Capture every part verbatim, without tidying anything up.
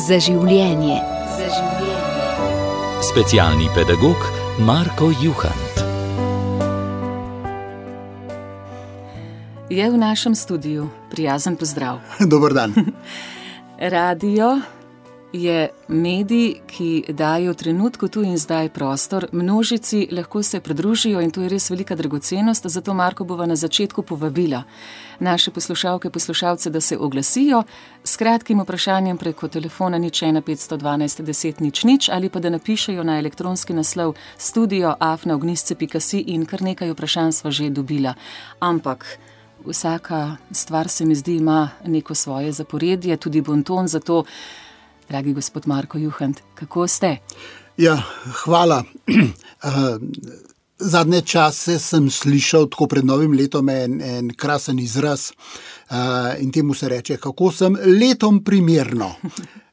Za življenje. Za življenje. Specialni pedagog Marko Juhant je v našem studiu. Prijazen pozdrav. Dober dan. Radio je medij, ki daje v trenutku tu in zdaj prostor množici, lahko se pridružijo in to je res velika dragocenost, zato Marko bova na začetku povabila naše poslušalke, poslušalce, da se oglasijo s kratkim vprašanjem preko telefona nič ena petsto dvanajst deset nič nič ali pa da napišejo na elektronski naslov studio afna ognjišče pika si in kar nekaj vprašanj sva že dobila. Ampak vsaka stvar se mi zdi ima neko svoje zaporedje, tudi bonton, zato dragi gospod Marko Juhant, kako ste? Ja, hvala. Zadnje čase sem slišal tako pred novim letom en, en krasen izraz in temu se reče, kako sem letom primerno.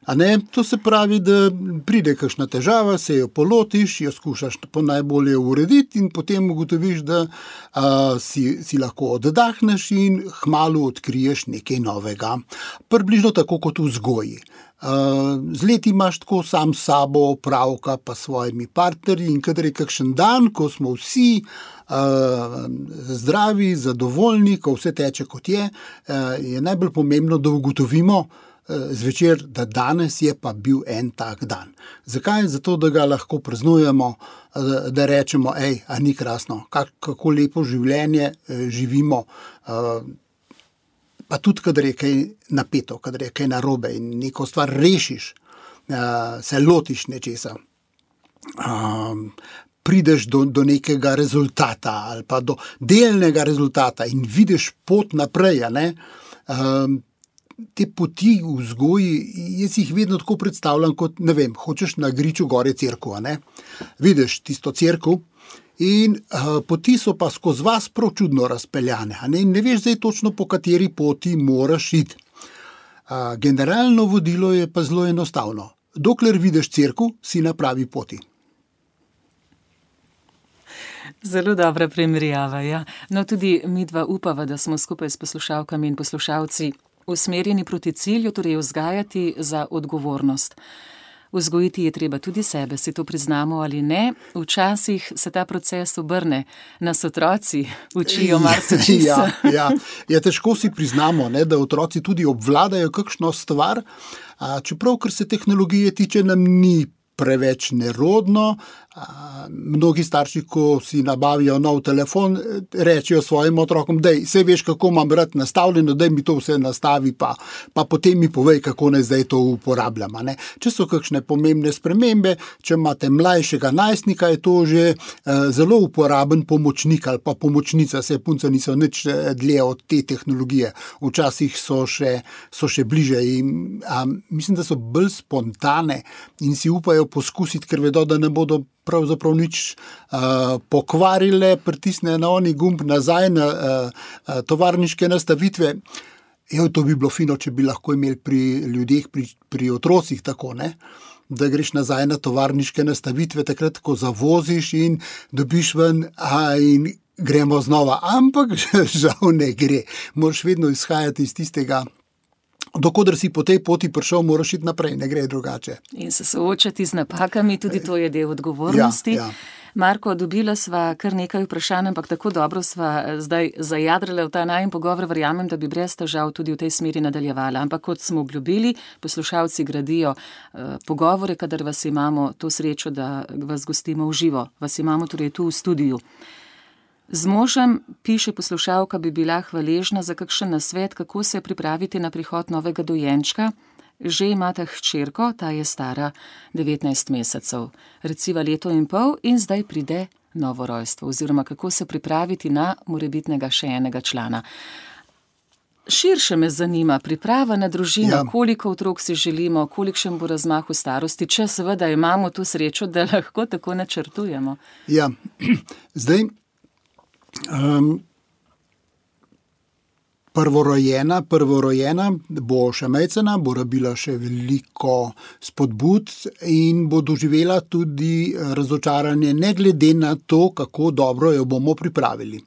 A ne? To se pravi, da pride kakšna težava, se jo polotiš, jo skušaš po najbolje urediti in potem ugotoviš, da a, si, si lahko oddahneš in hmalu odkriješ nekaj novega. Približno tako kot v vzgoji. Uh, z leti imaš tako sam s sabo opravka pa s svojimi partnerji in kadar je kakšen dan, ko smo vsi uh, zdravi, zadovoljni, ko vse teče kot je, uh, je najbolj pomembno, da ugotovimo uh, zvečer, da danes je pa bil en tak dan. Zakaj? Zato, da ga lahko praznujemo, uh, da rečemo, ej, a ni krasno, kak, kako lepo življenje uh, živimo, uh, pa tudi, kadar je kaj napeto, kadar je kaj narobe in neko stvar rešiš, se lotiš nečesa, prideš do, do nekega rezultata ali pa do delnega rezultata in vidiš pot naprej, a ne? Te poti v vzgoji, jaz jih vedno tako predstavljam kot, ne vem, hočeš na griču gore cerkev, a ne? Vidiš tisto cerkev, in uh, poti so pa skozi vas prav čudno razpeljane. A ne? ne veš zdaj točno, po kateri poti moraš iti. Uh, generalno vodilo je pa zelo enostavno. Dokler vidiš cerkev, si na pravi poti. Zelo dobra primerjava, ja. No, tudi midva upava, da smo skupaj s poslušalkami in poslušalci usmerjeni proti cilju, torej vzgajati za odgovornost. Vzgojiti je treba tudi sebe, si to priznamo ali ne. Včasih se ta proces obrne, nas otroci učijo marsičesa. Ja, ja. Ja, težko si priznamo, ne, da otroci tudi obvladajo kakšno stvar, a, čeprav, kar se tehnologije tiče, nam ni preveč nerodno. A, mnogi starši, ko si nabavijo nov telefon, rečejo svojim otrokom, dej, saj veš, kako imam rad nastavljeno, dej mi to vse nastavi, pa, pa potem mi povej, kako naj zdaj to uporabljam. Ne? Če so kakšne pomembne spremembe, če imate mlajšega najstnika, je to že eh, zelo uporaben pomočnik ali pa pomočnica, se punce niso nič dlje od te tehnologije. Včasih so še, so še bliže in a, mislim, da so bolj spontane in si upajo poskusiti, ker vedo, da ne bodo pravzaprav nič uh, pokvarile, pritisne na oni gumb nazaj na uh, uh, tovarniške nastavitve. Jo, to bi bilo fino, če bi lahko imeli pri ljudeh, pri, pri otrocih tako, ne? Da greš nazaj na tovarniške nastavitve, takrat, ko zavoziš in dobiš ven a, in gremo znova. Ampak žal ne gre. Moraš vedno izhajati iz tistega, dokodar si po tej poti prišel, moraš iti naprej, ne gre drugače. In se soočati z napakami, tudi to je del odgovornosti. Ja, ja. Marko, dobila sva kar nekaj vprašanj, ampak tako dobro sva zdaj zajadrale v ta najin pogovor, verjamem, da bi brez težav tudi v tej smeri nadaljevala. Ampak kot smo obljubili, poslušalci gradijo eh, pogovore, kadar vas imamo to srečo, da vas gostimo v živo. Vas imamo torej tu v studiu. Z možem, piše poslušalka, bi bila hvaležna za kakšen nasvet, kako se pripraviti na prihod novega dojenčka. Že imata hčerko, ta je stara devetnajst mesecev, reciva leto in pol in zdaj pride novo rojstvo, oziroma kako se pripraviti na morebitnega še enega člana. Širše me zanima priprava na družino, ja. Koliko otrok si želimo, kolikšen bo razmah v starosti, če seveda imamo to srečo, da lahko tako načrtujemo. Ja, zdaj Um, prvorojena, prvorojena bo še majcena, bo rabila še veliko spodbud in bo doživela tudi razočaranje, ne glede na to, kako dobro jo bomo pripravili.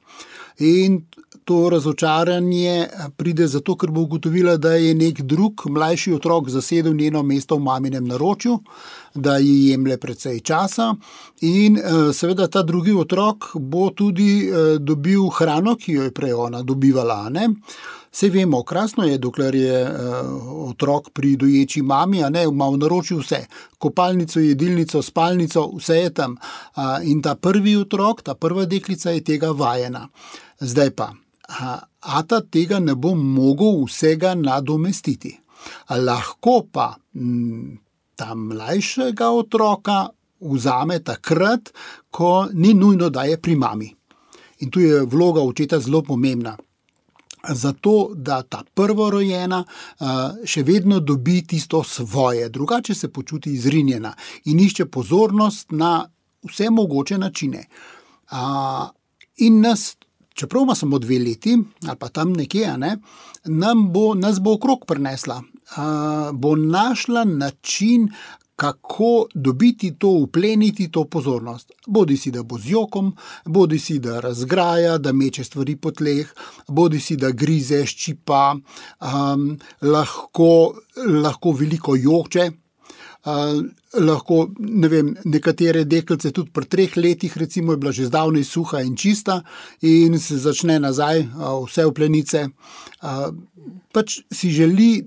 In to razočaranje pride zato, ker bo ugotovila, da je nek drug mlajši otrok zasedel njeno mesto v maminem naročju, da ji jemlje precej časa in seveda ta drugi otrok bo tudi dobil hrano, ki jo je prej ona dobivala, ne? Saj vemo, krasno je, dokler je uh, otrok pri doječi mami, a ne, ima v naročju vse. Kopalnico, jedilnico, spalnico, vse je tam. Uh, in ta prvi otrok, ta prva deklica je tega vajena. Zdaj pa, uh, ata tega ne bo mogel vsega nadomestiti. A lahko pa m, ta mlajšega otroka vzame takrat, ko ni nujno, da je pri mami. In tu je vloga očeta zelo pomembna. Zato, da ta prvorojena še vedno dobi tisto svoje, drugače se počuti izrinjena in išče pozornost na vse mogoče načine. In nas, čeprav ima samo dve leti, ali pa tam nekje, ne, nam bo, nas bo okrog prinesla, bo našla način, kako dobiti to, upleniti to pozornost. Bodi si, da bo z jokom, bodi si, da razgraja, da meče stvari po tleh, bodi si, da grize, ščipa, um, lahko, lahko veliko jokče, uh, lahko, ne vem, nekatere deklice tudi pri treh letih, recimo, je bila že zdavnej suha in čista in se začne nazaj, uh, vse v plenice. Uh, pač si želi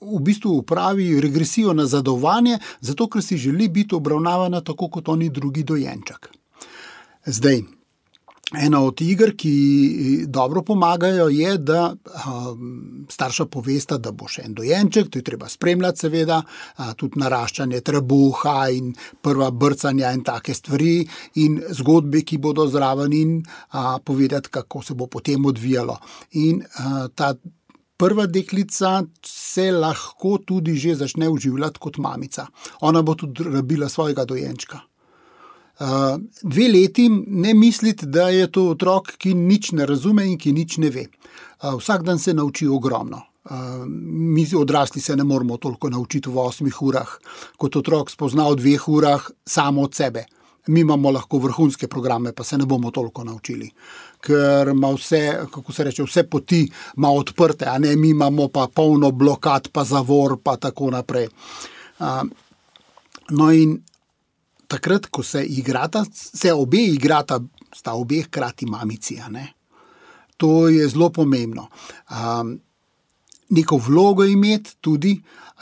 v bistvu upravi regresijo nazadovanje, zato ker si želi biti obravnavana tako kot oni drugi dojenček. Zdaj, ena od iger, ki dobro pomagajo, je, da um, starša povesta, da bo še en dojenček, to je treba spremljati seveda, a, tudi naraščanje trebuha in prva brcanja in take stvari in zgodbe, ki bodo zraven in a, povedati, kako se bo potem odvijalo. In a, ta prva deklica se lahko tudi že začne uživljati kot mamica. Ona bo tudi rabila svojega dojenčka. Uh, dve leti ne misliti, da je to otrok, ki nič ne razume in ki nič ne ve. Uh, vsak dan se nauči ogromno. Uh, mi odrasli se ne moramo toliko naučiti v osmih urah, kot otrok spozna v dveh urah samo od sebe. Mi imamo lahko vrhunske programe, pa se ne bomo toliko naučili, ker ima vse, kako se reče, vse poti ima odprte, a ne, mi imamo pa polno blokad, pa zavor, pa tako naprej. Uh, no in takrat, ko se igrata, se obe igrata, sta obe hkrati mamici, a ne. To je zelo pomembno. Um, neko vlogo imeti tudi,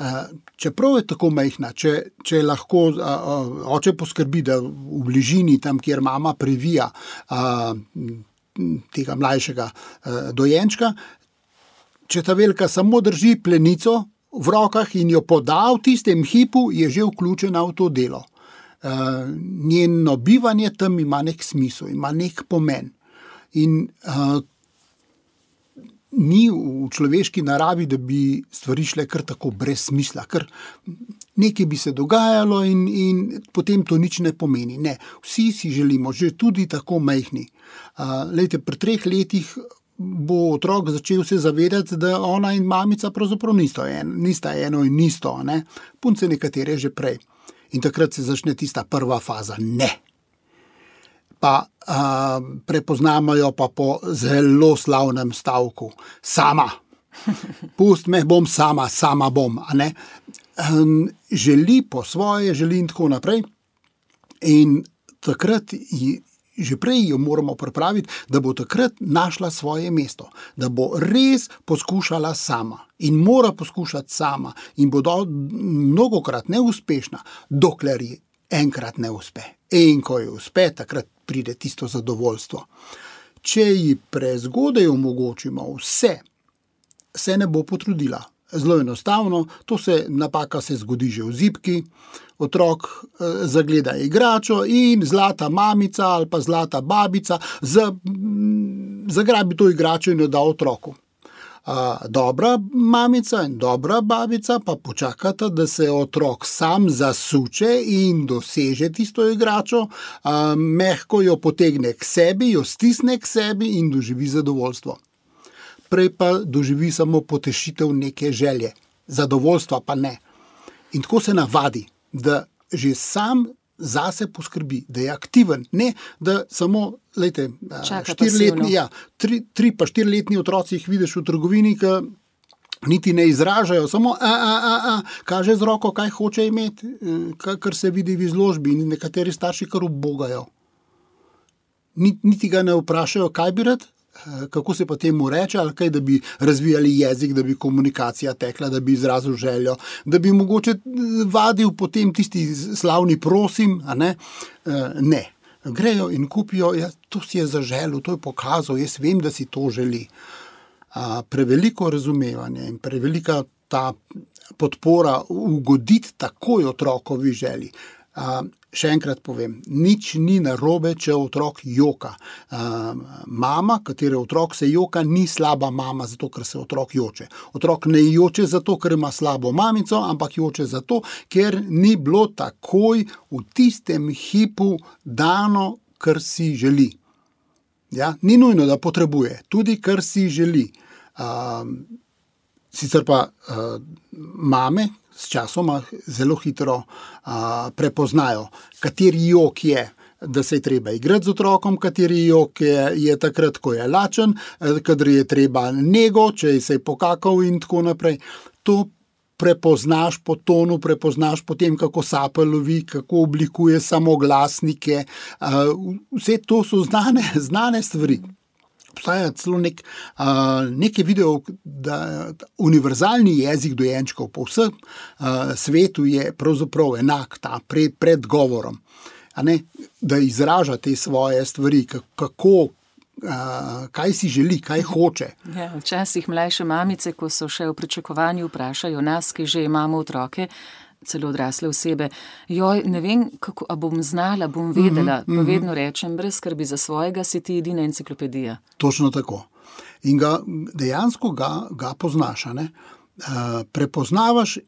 uh, čeprav je tako majhna, če, če lahko uh, uh, oče poskrbi, da v bližini, tam, kjer mama previja uh, tega mlajšega uh, dojenčka, če ta velika samo drži plenico v rokah in jo poda v tistem hipu, je že vključena v to delo. Uh, njeno bivanje tam ima nek smisel, ima nek pomen. In uh, ni v človeški naravi, da bi stvari šle kar tako brez smisla, ker nekaj bi se dogajalo in, in potem to nič ne pomeni. Ne, vsi si želimo, že tudi tako majhni. Uh, lejte, pri treh letih bo otrok začel se zavedati, da ona in mamica pravzaprav nista eno, nista eno in isto, ne? Punce nekatere že prej. In takrat se začne tista prva faza, ne. Pa uh, prepoznamo jo pa po zelo slavnem stavku. Sama. Pust me, bom sama, sama bom. A ne? Um, želi po svoje, želi in tako naprej. In takrat, že prej jo moramo pripraviti, da bo takrat našla svoje mesto. Da bo res poskušala sama. In mora poskušati sama. In bo do, mnogokrat neuspešna, dokler ji enkrat ne uspe. In ko ji uspe, takrat pride tisto zadovoljstvo. Če ji prezgodaj omogočimo vse, se ne bo potrudila. Zelo enostavno, to se napaka se zgodi že v zibki, otrok eh, zagleda igračo in zlata mamica ali pa zlata babica z, zagrabi to igračo in jo da otroku. Uh, dobra mamica in dobra babica pa počakata, da se otrok sam zasuče in doseže tisto igračo, uh, mehko jo potegne k sebi, jo stisne k sebi in doživi zadovoljstvo. Prej pa doživi samo potešitev neke želje, zadovoljstva pa ne. In tako se navadi, da že sam zase poskrbi, da je aktiven, ne da samo, lejte, štiriletni, ja, tri, tri pa štiriletni otroci jih vidiš v trgovini, ki niti ne izražajo, samo a, a, a, a, kaže z roko, kaj hoče imeti, kar se vidi v izložbi in nekateri starši kar ubogajo. Niti ga ne vprašajo, kaj bi rad, kako se pa temu reče, ali kaj, da bi razvijali jezik, da bi komunikacija tekla, da bi izrazil željo, da bi mogoče vadil potem tisti slavni prosim, a ne? Ne. Grejo in kupijo, ja, to si je zaželil, to je pokazal, jaz vem, da si to želi. A, preveliko razumevanje in prevelika ta podpora ugoditi takoj otrokovi želji. A, še enkrat povem, nič ni narobe, če otrok joka. A, mama, katere otrok se joka, ni slaba mama, zato ker se otrok joče. Otrok ne joče zato, ker ima slabo mamico, ampak joče zato, ker ni bilo takoj v tistem hipu dano, kar si želi. Ja? Ni nujno, da potrebuje, tudi kar si želi. A, sicer pa a, mame s časoma zelo hitro a, prepoznajo, kateri jok je, da se je treba igrati z otrokom, kateri jok je, je takrat, ko je lačen, kadar je treba nego, če se je pokakal in tako naprej. To prepoznaš po tonu, prepoznaš po tem, kako sape lovi, kako oblikuje samoglasnike. A, vse to so znane, znane stvari. Obstaja celo nek, uh, nekaj videov, da univerzalni jezik dojenčkov po vsem uh, svetu je pravzaprav enak, ta pred, pred govorom. A ne, da izraža te svoje stvari, kako, uh, kaj si želi, kaj hoče. Ja, včasih mlajše mamice, ko so še v pričakovanju, vprašajo nas, ki že imamo otroke, celo odrasle osebe, joj, ne vem, kako, a bom znala, bom vedela, mm-hmm. pa vedno rečem, brez skrbi za svojega, si ti edina enciklopedija. Točno tako. In ga, dejansko ga, ga poznaš, ne? Uh, prepoznavaš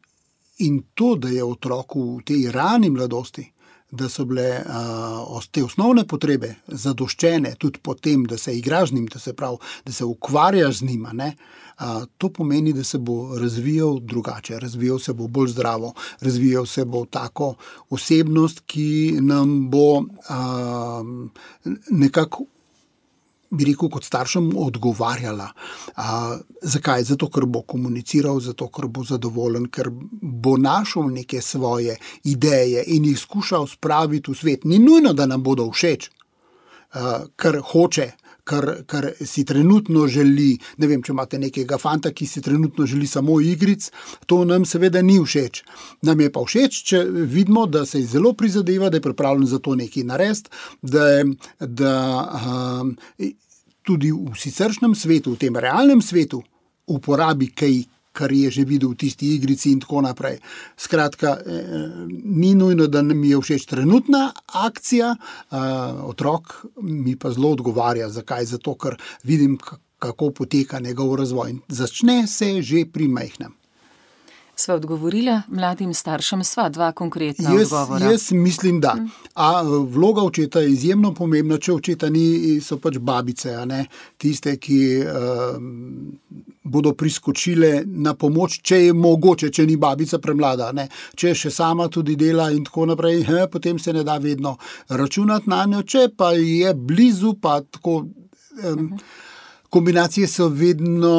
in to, da je otroku v tej rani mladosti, da so bile uh, te osnovne potrebe zadoščene tudi potem, da se igraš z njim, da se prav, da se ukvarjaš z njima, ne? Uh, to pomeni, da se bo razvijal drugače, razvijal se bo bolj zdravo, razvijal se bo tako osebnost, ki nam bo uh, nekako, bi rekel, kot staršem odgovarjala. A, zakaj? Zato, ker bo komuniciral, zato, ker bo zadovoljen, ker bo našel neke svoje ideje in jih skušal spraviti v svet. Ni nujno, da nam bodo všeč, a, kar hoče, kar, kar si trenutno želi. Ne vem, če imate nekega fanta, ki si trenutno želi samo igric, to nam seveda ni všeč. Nam je pa všeč, če vidimo, da se zelo prizadeva, da je pripravljen za to nekaj narediti, da, da um, tudi v siceršnjem svetu, v tem realnem svetu, uporabi kaj, kar je že videl v tisti igrici in tako naprej. Skratka, eh, ni nujno, da mi je všeč trenutna akcija, eh, otrok mi pa zelo odgovarja. Zakaj? Zato, ker vidim, kako poteka njegov razvoj. Začne se že pri majhnem. Sva odgovorila mladim staršem, sva dva konkretna jaz, odgovora. Jaz mislim, da. A vloga očeta je izjemno pomembna, če očeta ni, so pač babice, a ne? Tiste, ki uh, bodo priskočile na pomoč, če je mogoče, če ni babica premlada, ne? Če še sama tudi dela in tako naprej, he, potem se ne da vedno računati na njo, če pa je blizu, pa tako um, kombinacije so vedno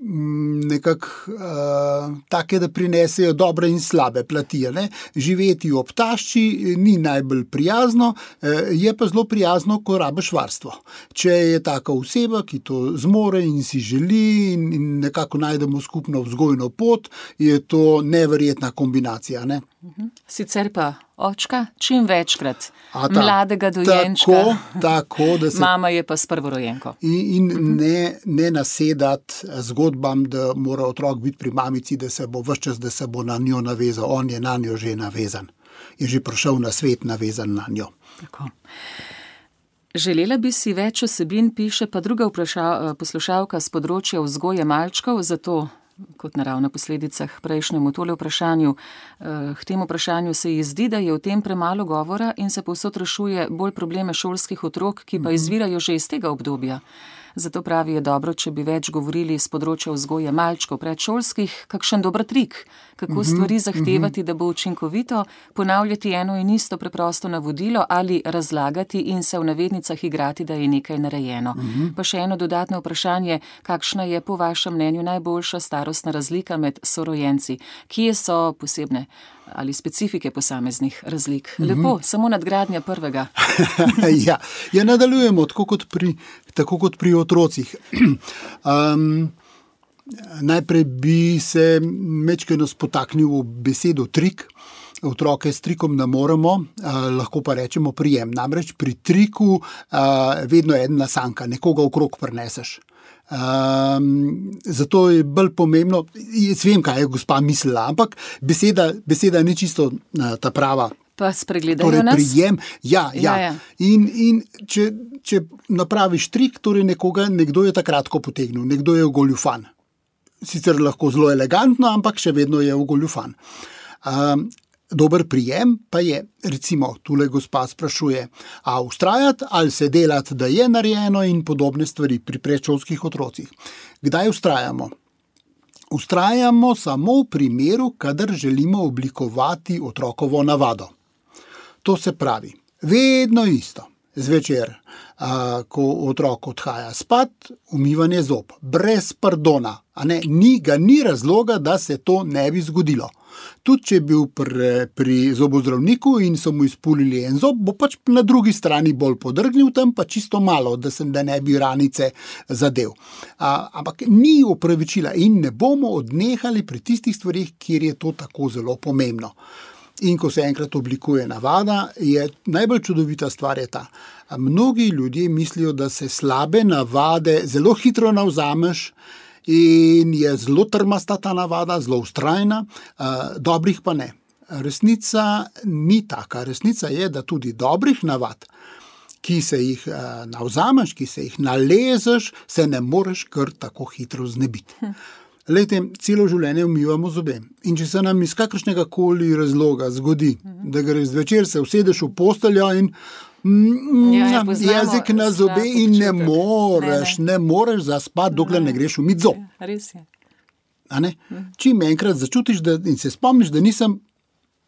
nekako uh, take, da prinesejo dobre in slabe plati. Ne? Živeti ob tašči ni najbolj prijazno, uh, je pa zelo prijazno, ko rabiš varstvo. Če je taka oseba, ki to zmore in si želi in, in nekako najdemo skupno vzgojno pot, je to neverjetna kombinacija. Ne? Sicer pa očka čim večkrat ta, mladega dojenčka. Tako, tako, da se, mama je pa s prvorojenko. In, in uh-huh. ne, ne nasedati zgodbam, da mora otrok biti pri mamici, da se bo ves čas, da se bo na njo navezal. On je na njo že navezan. Je že prišel na svet navezan na njo. Tako. Želela bi si več osebin, piše pa druga vpraša, poslušalka z področja vzgoje malčkov, zato kot naravna posledica k prejšnjemu tole vprašanju. K temu vprašanju se ji zdi, da je o tem premalo govora in se povsod rešuje bolj probleme šolskih otrok, ki pa izvirajo že iz tega obdobja. Zato pravi, je dobro, če bi več govorili z področja vzgoje malčkov predšolskih, kakšen dober trik, kako stvari zahtevati, da bo učinkovito, ponavljati eno in isto preprosto navodilo ali razlagati in se v navednicah igrati, da je nekaj narejeno. Pa še eno dodatno vprašanje, kakšna je po vašem mnenju najboljša starostna razlika med sorojenci? Kje so posebne ali specifike posameznih razlik? Lepo, samo nadgradnja prvega. ja, ja, nadaljujemo tako kot pri, tako kot pri otrocih. Um, najprej bi se mečkeno spotaknil v besedo trik. Otroke s trikom ne moremo, uh, lahko pa rečemo prijem. Namreč pri triku uh, vedno ena nasanka, nekoga okrog prineseš. Um, zato je bolj pomembno, jaz vem, kaj je gospa mislila, ampak beseda, beseda ni čisto uh, ta prava. Pa spregledajo torej, nas? Prijem, ja, ja. ja, ja. In, in če, če napraviš trik, torej nekoga, nekdo je takrat potegnil, nekdo je ogoljufan. Sicer lahko zelo elegantno, ampak še vedno je ogoljufan. Um, Dober prijem pa je, recimo, tule gospa sprašuje, a ustrajati ali se delati, da je narejeno in podobne stvari pri predšolskih otrocih. Kdaj ustrajamo? Ustrajamo samo v primeru, kadar želimo oblikovati otrokovo navado. To se pravi, vedno isto. Zvečer, a, ko otrok odhaja spat, umivanje zob, brez pardona. A ne, ni, ga ni razloga, da se to ne bi zgodilo. Tudi če je bil pri, pri zobozdravniku in so mu izpulili en zob, bo pač na drugi strani bolj podrgnil, tam pa čisto malo, da se da ne bi ranice zadev. A, ampak ni opravičila in ne bomo odnehali pri tistih stvarih, kjer je to tako zelo pomembno. In ko se enkrat oblikuje navada, je najbolj čudovita stvar je ta. Mnogi ljudje mislijo, da se slabe navade zelo hitro navzameš, in je zelo trmasta ta navada, zelo vztrajna, dobrih pa ne. Resnica ni taka. Resnica je, da tudi dobrih navad, ki se jih navzameš, ki se jih nalezeš, se ne moreš kar tako hitro znebiti. Lejte, celo življenje umivamo zobe. In če se nam iz kakršnega koli razloga zgodi, da greš zvečer, se usedeš v posteljo in Mm, ja, jezik na zobe in ne moreš, ne, ne. ne moreš zaspati, dokler ne, ne greš umit zob. Res je. A ne? Čim enkrat začutiš da, in se spomniš, da nisem,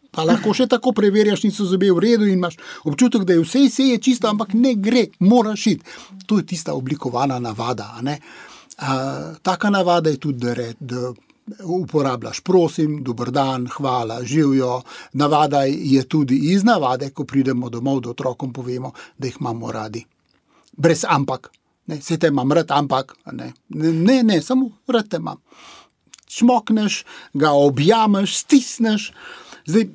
pa lahko še tako preverjaš, niso zobe v redu in imaš občutek, da je vse, vse je čisto, ampak ne gre, moraš iti. To je tista oblikovana navada. A ne? A, taka navada je tudi, da, re, da uporabljaš prosim, dober dan, hvala, živijo. Navada je tudi iz navade, ko pridemo domov, da otrokom povemo, da jih imamo radi. Brez ampak. Ne, se te imam rad, ampak. Ne, ne, ne samo rad te imam. Čmokneš, ga objameš, stisneš. Zdaj,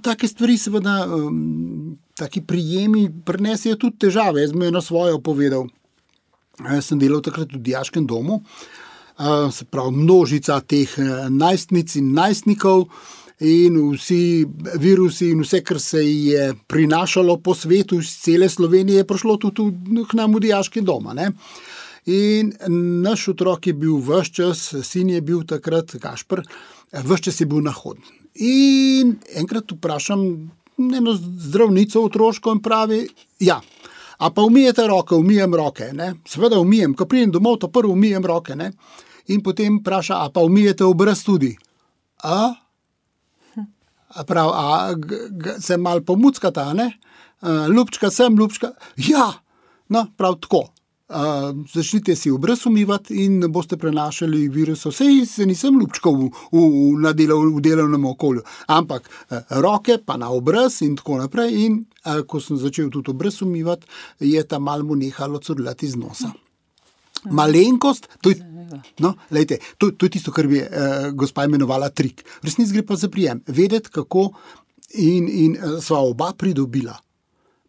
take stvari seveda, um, taki prijemi prinesejo tudi težave. Jaz mi eno svojo povedal. Jaz sem delal takrat v dijaškem domu. Uh, se pravi, množica teh najstnic in najstnikov in vsi virusi in vse, kar se je prinašalo po svetu iz cele Slovenije, je prišlo tudi k nam v dijaški doma. Ne? In naš otrok je bil ves čas, sin je bil takrat, Gašper, ves čas je bil nahoden. In enkrat vprašam eno zdravnico otroško in pravi, ja, a pa umijete roke, umijem roke, ne? Seveda umijem, ko pridem domov, to prvo umijem roke, ne? In potem vpraša, a pa umijete obraz tudi. A? A prav, a g, g, se mal pomuckata, ne? A, ljubčka sem, ljubčka. Ja, no, prav tako. A, začnite si obraz umivati in boste prenašali virusov. Sej se nisem ljubčkal v, v, v, delav, v delovnem okolju, ampak a, roke pa na obraz in tako naprej. In a, ko sem začel tudi obraz umivati, je ta mal mu nehalo curljati iz nosa. Malenkost, to je, no, lejte, to, to je tisto, kar bi eh, gospa imenovala trik. V resnici gre pa za prijem. Vedeti, kako in, in eh, sva oba pridobila.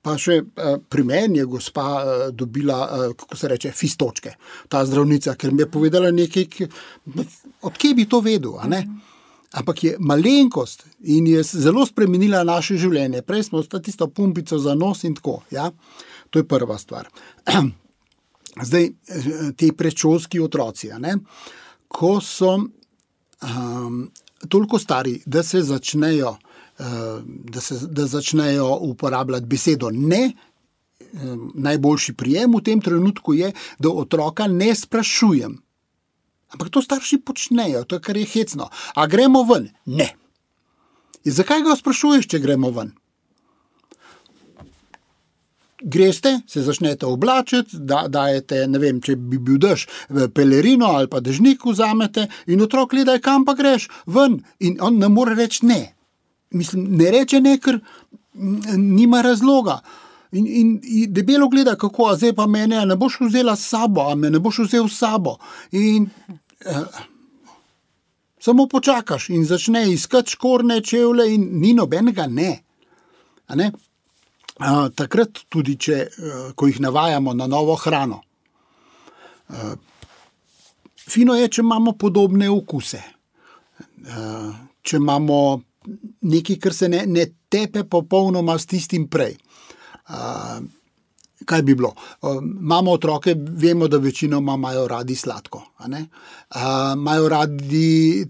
Pa še eh, pri meni je gospa eh, dobila, eh, kako se reče, fistočke, ta zdravnica, ker mi je povedala nekaj, od kje bi to vedel, a ne? Ampak je malenkost in je zelo spremenila naše življenje. Prej smo sta tisto pumpico za nos in tako, ja? To je prva stvar. Zdaj, ti predšolski otroci, a ne? Ko so um, toliko stari, da se začnejo, uh, da se, da začnejo uporabljati besedo ne. Najboljši prijem v tem trenutku je, da otroka ne sprašujem. Ampak to starši počnejo, to je kar je hecno. A gremo ven? Ne. In zakaj ga sprašuješ, če gremo ven? Greste, se začnete oblačiti, da, dajete, ne vem, če bi bil dež, pelerino ali pa dežnik vzamete in otrok gleda, kam pa greš? Ven. In on ne more reči ne. Mislim, ne reče ne, ker nima razloga. In, in, in debelo gleda, kako, a zdaj pa mene, a ne boš vzela s sabo, a me ne boš vzel s sabo. In eh, samo počakaš in začne iskati škorne čevlje in ni nobenega ne. A ne? A, takrat tudi, če, ko jih navajamo na novo hrano. A, fino je, če imamo podobne okuse. A, če imamo nekaj, kar se ne, ne tepe popolnoma s tistim prej. Uh, kaj bi bilo? Uh, imamo otroke, vemo, da večinoma imajo radi sladko. A ne? Uh, imajo radi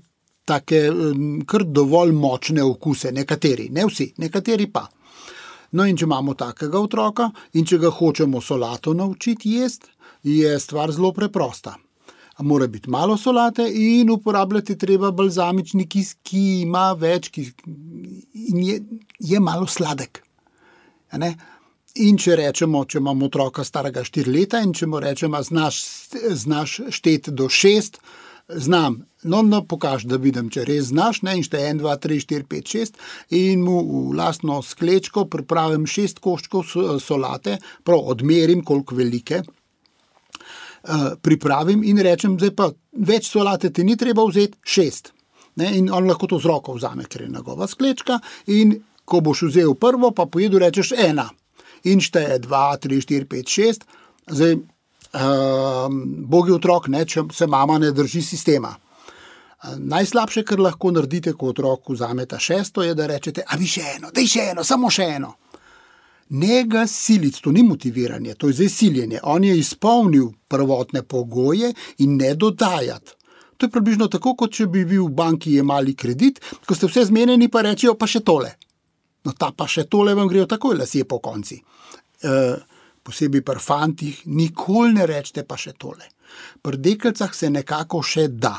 take um, kar dovolj močne okuse, nekateri, ne vsi, nekateri pa. No in če imamo takega otroka in če ga hočemo solato naučiti jesti, je stvar zelo preprosta. Mora biti malo solate in uporabljati treba balzamični kis, ki ima več kis, in je, je malo sladek. A ne? In če rečemo, če imamo otroka starega štiri leta in če mu rečemo, znaš, znaš šteti do šest, znam, no, no pokaži, da vidim, če res znaš, ne, in šteje en, dva, tri, štiri, pet, šest in mu v lastno sklečko pripravim šest koščkov solate, prav odmerim, koliko velike, pripravim in rečem, zdaj pa več solate ti ni treba vzeti, šest. Ne, in on lahko to z roko vzame, ker je njegova sklečka in ko boš vzel prvo, pa pojedu rečeš ena. In šteje dva, tri, štiri, pet, šest. Zdaj, um, bogi otrok, ne, če se mama ne drži sistema. Najslabše, kar lahko naredite, ko otrok vzame ta šesto, je, da rečete, a bi še eno, daj še eno, samo še eno. Ne ga siliti, to ni motiviranje, to je zdaj siljenje. On je izpolnil prvotne pogoje in ne dodajati. To je približno tako, kot če bi bil v banki jemali kredit, ko ste vse zmenjeni, pa rečejo pa še tole. No, ta pa še tole vam grejo takoj lasje po konci. E, posebej pri fantih, nikoli ne rečete pa še tole. Pri deklicah se nekako še da.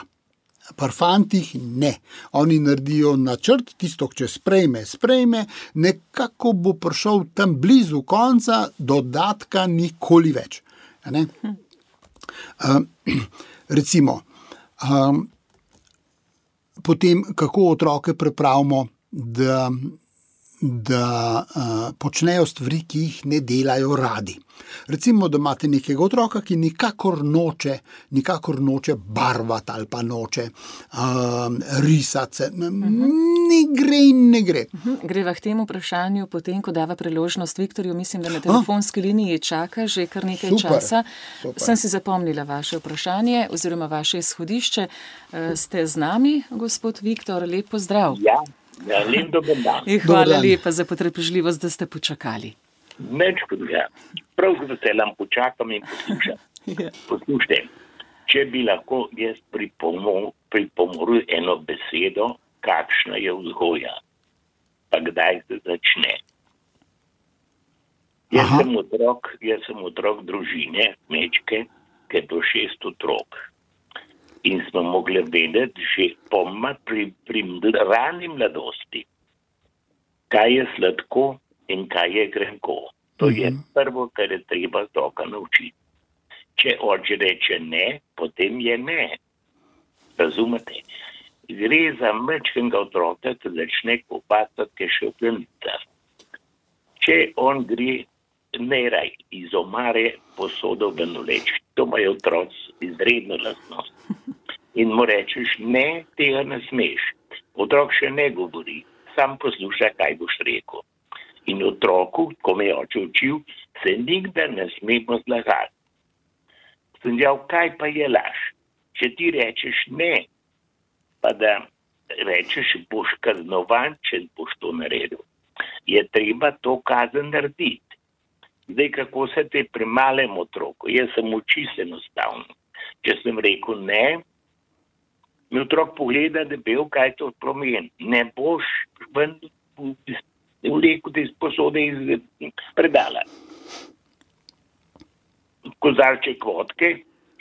Pri fantih ne. Oni naredijo načrt, tisto, če sprejme, sprejme, nekako bo prišel tam blizu konca, dodatka nikoli več. Ne? E, recimo, e, potem, kako otroke pripravimo, da da uh, počnejo stvari, ki jih ne delajo radi. Recimo, da imate nekega otroka, ki nikakor noče, nikakor noče barvati ali pa noče um, risati. Uh-huh. Ne gre in ne gre. Uh-huh. Greva k temu vprašanju potem, ko dava priložnost Viktorju, mislim, da na telefonski liniji čaka že kar nekaj super, časa. Super. Sem si zapomnila vaše vprašanje oziroma vaše izhodišče. Uh, ste z nami, gospod Viktor, lep pozdrav. Ja. Ja, lep dober dan. Hvala lepa za potrpežljivost, da ste počakali. Neč kot ja. Prav z veseljem počakam in poslušam. Ja. Poslušajte, če bi lahko jaz pripomoril eno besedo, kakšna je vzgoja, pa kdaj se začne. Jaz sem, otrok, jaz sem otrok družine, mečke, ki je to šest otrok. In smo mogli vedeti že pomma pri, pri rani mladosti, kaj je sladko in kaj je grenko. To mm-hmm. je prvo, kar je treba otroka naučiti. Če oče reče ne, potem je ne. Razumete? Gre za mečkega otroka, ki začne kopatati, ki še v plenicah. Če on gre neraj iz omare posodo ven vleč, to imajo otroci izredno lastnost. In mu rečeš, ne, tega ne smeš. Otrok še ne govori, sam posluša, kaj boš rekel. In otroku, ko me je oče učil, se nikdar ne smemo zlagati. Sem dejal, kaj pa je laž? Če ti rečeš ne, pa da rečeš, boš kaznovan, če boš to naredil, je treba to kazen narediti. Zdaj, kako se te pri malem otroku, jaz sem učil enostavno. Če sem rekel ne, mi otrok pogleda debel, kaj to pomeni. Ne boš ven vlekel te sposode iz predala. Kozarček vodke,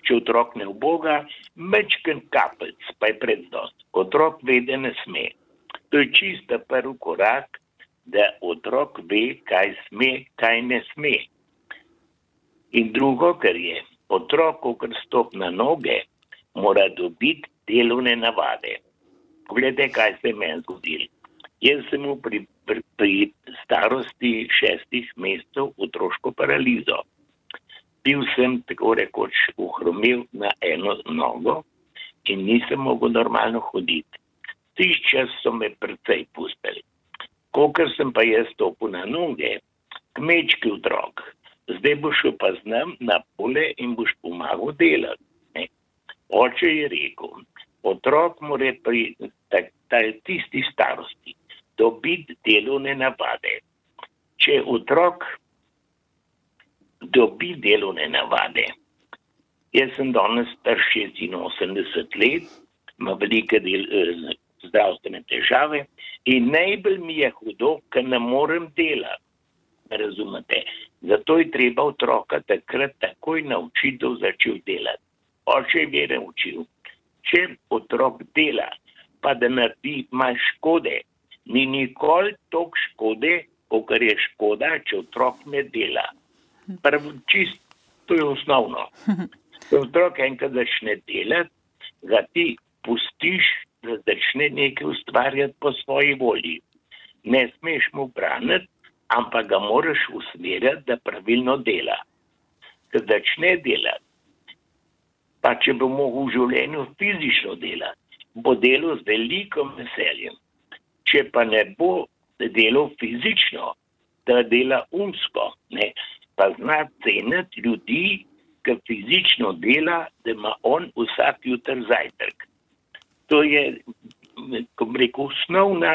če otrok ne uboga, mečken kapelc, pa je prednost. Otrok ve, da ne sme. To je čista prvi korak, da otrok ve, kaj sme, kaj ne sme. In drugo, kar je, otrok, ko stop na noge, mora dobiti delovne navade. Poglejte, kaj se je meni zgodilo. Jaz sem mu pri, pri, pri starosti šestih mesecev otroško paralizo. Bil sem tako rekoč uhromil na eno nogo in nisem mogel normalno hoditi. Tiš čas so me precej pustili. Kokor sem pa jaz stopil na noge, kmečki otrok, zdaj boš šel pa z nam na pole in boš pomagal delati. Ne? Oče je rekel, otrok mora pri tak, tak, tisti starosti dobiti delovne navade. Če otrok dobi delovne navade. Jaz sem danes star šestinosemdeset let, ima velike del, eh, zdravstvene težave in najbolj mi je hudo, ker ne morem delati. Razumete? Zato je treba otroka takrat takoj naučiti, da začel delati. Oče je naučil. Če otrok dela, pa da naredi manj škode, ni nikoli toliko škode, kakor je škoda, če otrok ne dela. Prvo, čist, to je osnovno. Ko otrok enkrat začne delati, ga ti pustiš, da začne nekaj ustvarjati po svoji volji. Ne smeš mu braniti, ampak ga moraš usmerjati, da pravilno dela. Ko začne delati, pa če bo mogel v življenju fizično delati, bo delal z velikim veseljem. Če pa ne bo delal fizično, da dela umsko, ne, pa zna ceniti ljudi, ki fizično dela, da ima on vsak jutr zajtrk. To je, ko bi rekel, osnovna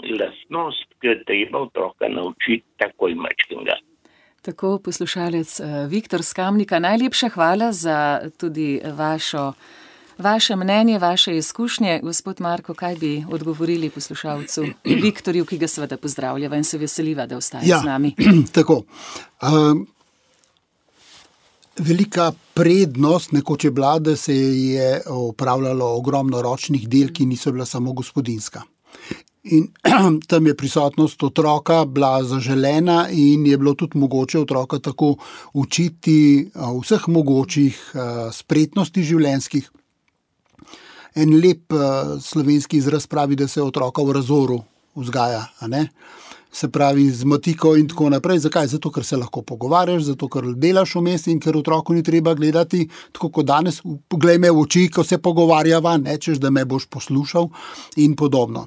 lastnost, ki je treba otroka naučiti takoj mačkega. Tako, poslušalec Viktor Skamnika, najlepša hvala za tudi vašo, vaše mnenje, vaše izkušnje. Gospod Marko, kaj bi odgovorili poslušalcu Viktorju, ki ga seveda pozdravljava in se veseliva, da ostaje ja, z nami? Tako. Um, velika prednost nekoč je bila, da se je opravljalo ogromno ročnih del, ki niso bila samo gospodinjska. In tam je prisotnost otroka bila zaželena in je bilo tudi mogoče otroka tako učiti vseh mogočih spretnosti življenjskih. En lep slovenski izraz pravi, da se otroka v razoru vzgaja, a ne? Se pravi z motiko in tako naprej. Zakaj? Zato, ker se lahko pogovarjaš, zato, ker delaš vmes in ker otroku ni treba gledati, tako kot danes, poglej me v oči, ko se pogovarjava, nečeš, da me boš poslušal in podobno.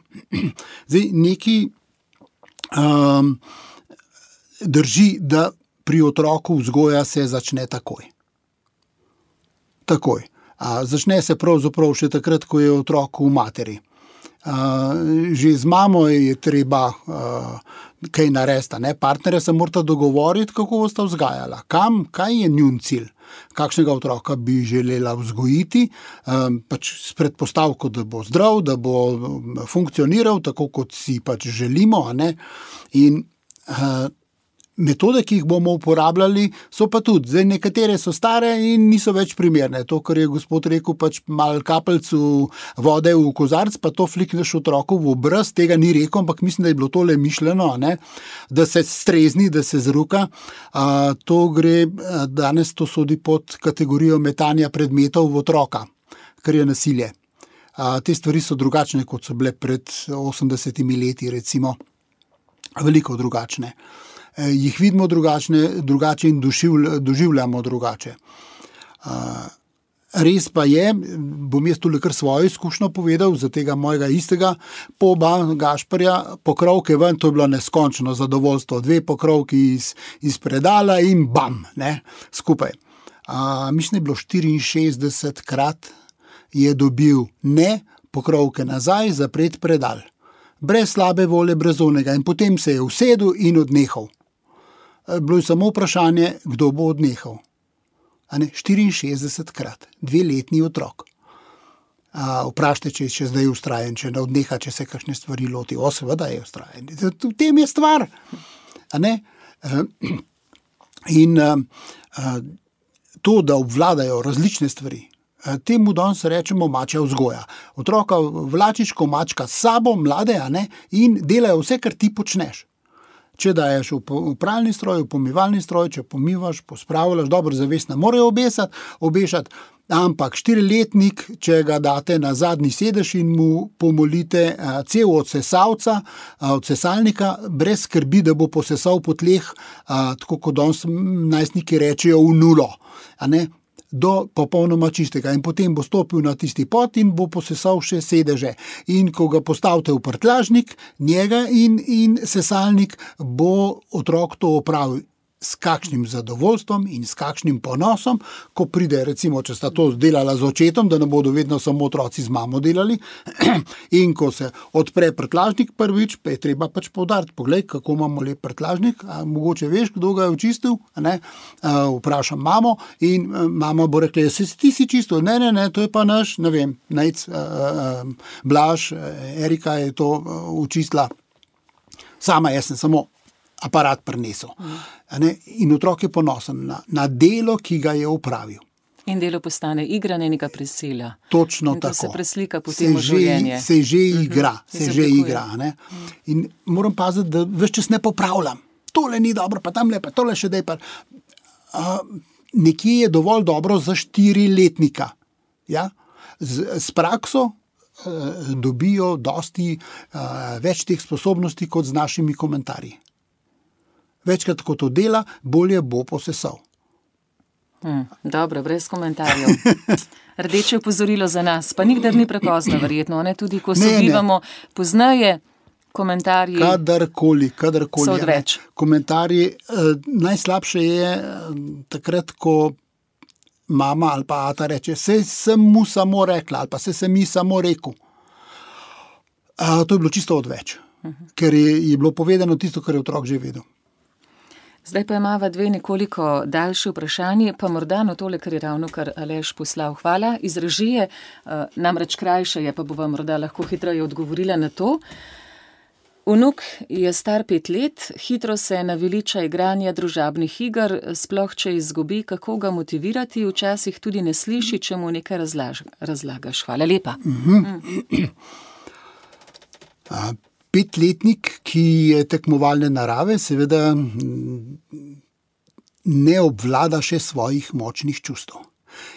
Zdaj, neki um, drži, da pri otroku vzgoja se začne takoj. Takoj. A, začne se pravzaprav še takrat, ko je otrok v materi. Uh, že z mamo je treba uh, kaj narediti, ne? Partnerja se morata dogovoriti, kako bosta vzgajala. Kam, kaj je njun cilj? Kakšnega otroka bi želela vzgojiti, um, pač s predpostavko, da bo zdrav, da bo funkcioniral tako, kot si pač želimo, a ne? In uh, metode, ki jih bomo uporabljali, so pa tudi. Zdaj, nekatere so stare in niso več primerne. To, kar je gospod rekel, pač malo kapelcu vode v kozarc, pa to flikneš otroku v obraz, tega ni rekel, ampak mislim, da je bilo tole mišljeno, ne? Da se strezni, da se zruka. A, to gre, danes to sodi pod kategorijo metanja predmetov v otroka, kar je nasilje. A, te stvari so drugačne, kot so bile pred osemdesetimi leti, recimo. Veliko drugačne. Jih vidimo drugačne, drugače in doživljamo drugače. Res pa je, bom jaz tule kar svojo izkušnjo povedal, za tega mojega istega poba Gašperja, pokrovke ven, to je bilo neskončno zadovoljstvo. Dve pokrovki iz, iz predala in bam, ne, skupaj. A, mislim, je bilo štiriinšestdeset krat je dobil ne pokrovke nazaj, zapret predal. Brez slabe volje, brez onega. In potem se je usedel in odnehal. Bilo je samo vprašanje, kdo bo odnehal. A ne, štiriinšestdeset krat, dveletni otrok. vprašajte, če je še zdaj ustrajen, če ne odneha, če se kakšne stvari loti. O, seveda je ustrajen. V tem je stvar. A ne? In to, da obvladajo različne stvari, temu danes rečemo mačja vzgoja. Otroka vlačiš, ko mačka s sabo, mlade, a ne, in delajo vse, kar ti počneš. Če daješ v pralni stroj, v pomivalni stroj, če pomivaš, pospravljaš, dobro zavest ne morejo obesati, obešati, ampak štiriletnik, če ga date na zadnji sedež in mu pomolite cel od sesalca, od sesalnika, brez skrbi, da bo posesal po tleh, tako kot danes najstniki rečejo, v nulo, a ne, do popolnoma čistega. In potem bo stopil na tisti pot in bo posesal še sedeže. In ko ga postavite v prtljažnik, njega in, in sesalnik, bo otrok to opravil s kakšnim zadovoljstvom in s kakšnim ponosom, ko pride, recimo, če sta to delala z očetom, da ne bodo vedno samo otroci z mamo delali, in ko se odpre prtljažnik prvič, pa je treba pač poudariti, poglej, kako imamo lep prtljažnik, a mogoče veš, kdo ga je očistil, ne? A, vprašam mamo in mama bo rekla, se ti si čistil, ne, ne, ne, to je pa naš, ne vem, Nejc, Blaž, Erika je to učistila, sama jaz sem samo aparat prinesel. Mm. In otrok je ponosen na, na delo, ki ga je opravil. In delo postane igra, ne neka prisila. Točno in to tako. Se preslika potem v življenje. Se že igra, mm-hmm. se, se že igra. Ne? Mm. In moram paziti, da ves čas ne popravljam. Tole ni dobro, pa tam lepa, tole še dej pa. Uh, nekje je dovolj dobro za štiriletnika. Ja? Z, s prakso uh, dobijo dosti uh, več teh sposobnosti kot z našimi komentarji. Večkrat, ko to dela, bolje bo posesal. Hmm, dobro, brez komentarjev. Rdeče opozorilo za nas, pa nikdar ni prepozno, verjetno, ne? Tudi ko se bivamo poznaje, komentarji kadarkoli, kadarkoli, so odveč. Komentarji, eh, najslabše je eh, takrat, ko mama ali pa ata reče, se sem mu samo rekla, ali pa se sem mi samo rekel. A, to je bilo čisto odveč, uh-huh. ker je, je bilo povedano tisto, kar je otrok že vedel. Zdaj pa imava dve nekoliko daljše vprašanje, pa morda no tole, kar je ravno kar Aleš poslal. Hvala iz režije, namreč krajše je, pa bova morda lahko hitreje odgovorila na to. Vnuk je star pet let, hitro se naveliča igranja družabnih iger, sploh če izgubi, kako ga motivirati, včasih tudi ne sliši, če mu nekaj razlaž, razlagaš. Hvala lepa. Mm-hmm. Mm. Petletnik, ki je tekmovalne narave, seveda ne obvlada še svojih močnih čustev.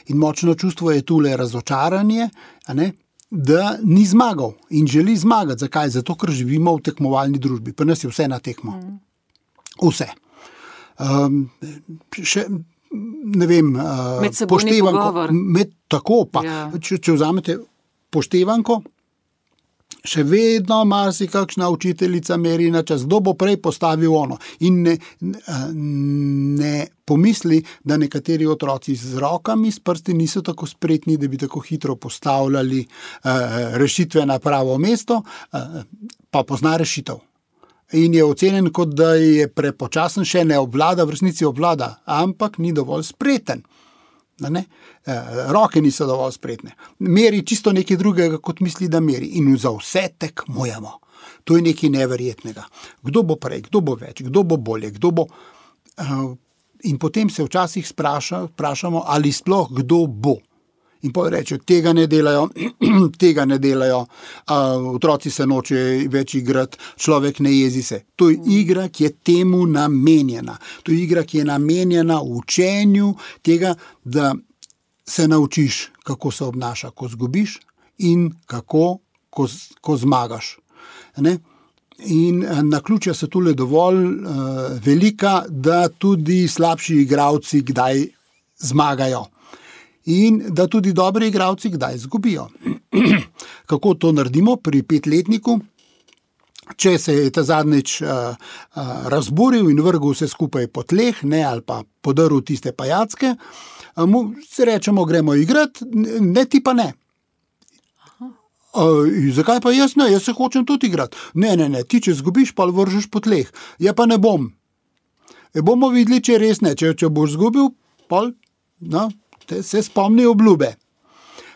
In močno čustvo je tule razočaranje, a ne, da ni zmagal in želi zmagati. Zakaj? Zato, ker živimo v tekmovalni družbi. Pa nas je vse na tekmo. Vse. Um, še, ne vem, uh, medsebojni pogovor. Med, tako pa, ja. če, če vzamete poštevanko, še vedno marsi kakšna učiteljica meri na čas, kdo bo prej postavil ono. In ne, ne pomisli, da nekateri otroci z rokami, s prsti niso tako spretni, da bi tako hitro postavljali uh, rešitve na pravo mesto, uh, pa pozna rešitev. In je ocenjen, kot da je prepočasen, še ne obvlada, v resnici obvlada, ampak ni dovolj spreten. Ne? Roke niso dovolj spretne. Meri čisto nekaj drugega, kot misli, da meri. In za vse tekmujemo. To je nekaj neverjetnega. Kdo bo prej, kdo bo več, kdo bo bolje, kdo bo... In potem se včasih spraša, sprašamo, ali sploh kdo bo. In potem rečejo, tega ne delajo, tega ne delajo, uh, otroci se noče več igrati, človek ne jezi se. To je igra, ki je temu namenjena. To je igra, ki je namenjena učenju tega, da se naučiš, kako se obnaša, ko zgubiš in kako, ko, ko zmagaš. Ne? In naključja so tule dovolj uh, velika, da tudi slabši igralci kdaj zmagajo. In da tudi dobri igralci kdaj zgubijo. Kako to naredimo pri petletniku? Če se je ta zadnjič uh, uh, razburil in vrgel vse skupaj po tleh, ne, ali pa podaril tiste pajacke, uh, mu se rečemo, gremo igrati, ne ti pa ne. Uh, zakaj pa jaz ne? Jaz se hočem tudi igrati. Ne, ne, ne, ti če zgubiš, pa vržeš po tleh. Ja pa ne bom. E bomo videli, če res ne. Če, če boš zgubil, pol, no, se spomni obljube.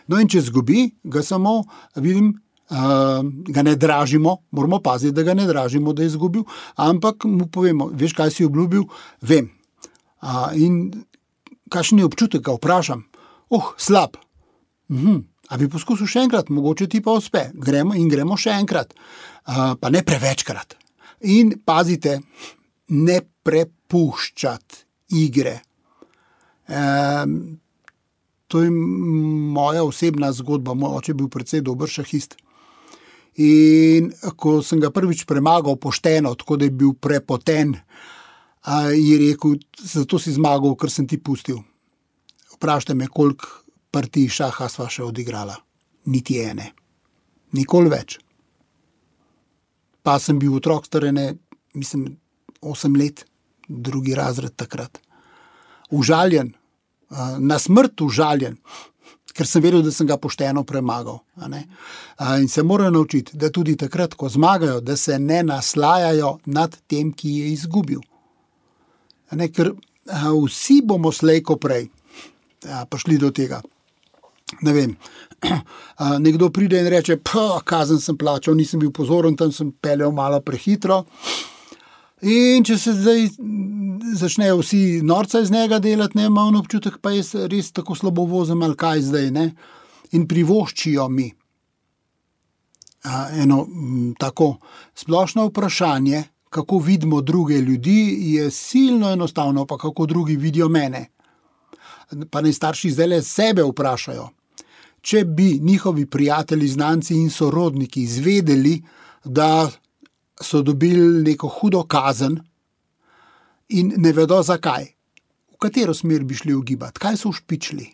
No in če zgubi, ga samo vidim, uh, ga ne dražimo, moramo paziti, da ga ne dražimo, da je izgubil, ampak mu povemo, veš, kaj si obljubil, vem. Uh, in kakšen je občutek, ga vprašam, oh, slab. Mhm. A bi poskusil še enkrat, mogoče ti pa uspe. Gremo in gremo še enkrat, uh, pa ne prevečkrat. In pazite, ne prepuščati igre. Um, to je moja osebna zgodba. Moj oče je bil precej dober šahist. In ko sem ga prvič premagal pošteno, tako da je bil prepoten, uh, je rekel, zato si zmagal, ker sem ti pustil. Vprašajte me, koliko partij šaha sva še odigrala. Niti ene. Nikoli več. Pa sem bil otrok starene, mislim, osem let, drugi razred takrat. Užaljen, na smrt užaljen, ker sem vedel, da sem ga pošteno premagal. A ne? In se morajo naučiti, da tudi takrat, ko zmagajo, da se ne naslajajo nad tem, ki je izgubil. A ne? Ker vsi bomo slej ko prej prišli do tega. Ne vem, nekdo pride in reče, kazen sem plačal, nisem bil pozoren, tam sem peljal malo prehitro. In če se zdaj začnejo vsi norca iz njega delati, ne, ima on občutek, pa jaz res tako slabo vozim, ali kaj zdaj, ne. In privoščijo mi eno tako splošno vprašanje, kako vidimo druge ljudi, je silno enostavno, pa kako drugi vidijo mene. Pa naj starši zdaj le sebe vprašajo. Če bi njihovi prijatelji, znanci in sorodniki izvedeli, da so dobili neko hudo kazen in ne vedo zakaj, v katero smer bi šli ugibati, kaj so ušpičili,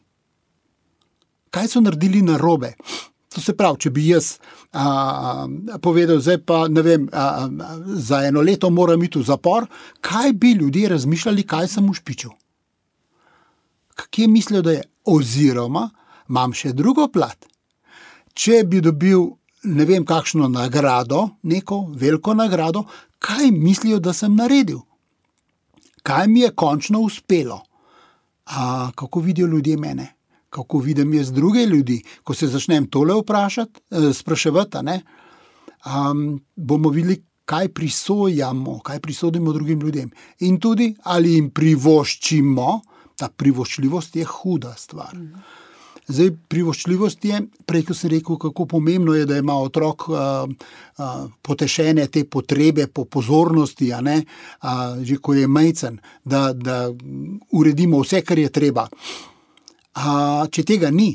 kaj so naredili narobe. To se pravi, če bi jaz a, povedal, zdaj pa ne vem, a, a, za eno leto moram iti v zapor, kaj bi ljudje razmišljali, kaj sem ušpičil. Kje mislijo, da je? Oziroma, imam še drugo plat. Če bi dobil, ne vem, kakšno nagrado, neko veliko nagrado, kaj mislijo, da sem naredil? Kaj mi je končno uspelo? A, kako vidijo ljudje mene? Kako vidim jaz druge ljudi? Ko se začnem tole vprašati, eh, spraševati, ne? Um, bomo videli, kaj prisojamo, kaj prisodimo drugim ljudem. In tudi, ali jim privoščimo. Ta privoščljivost je huda stvar. Zdaj, privoščljivost je, prej, ko sem rekel, kako pomembno je, da ima otrok a, a, potešene te potrebe po pozornosti, a ne, a, že ko je majcen, da, da uredimo vse, kar je treba. A, če tega ni,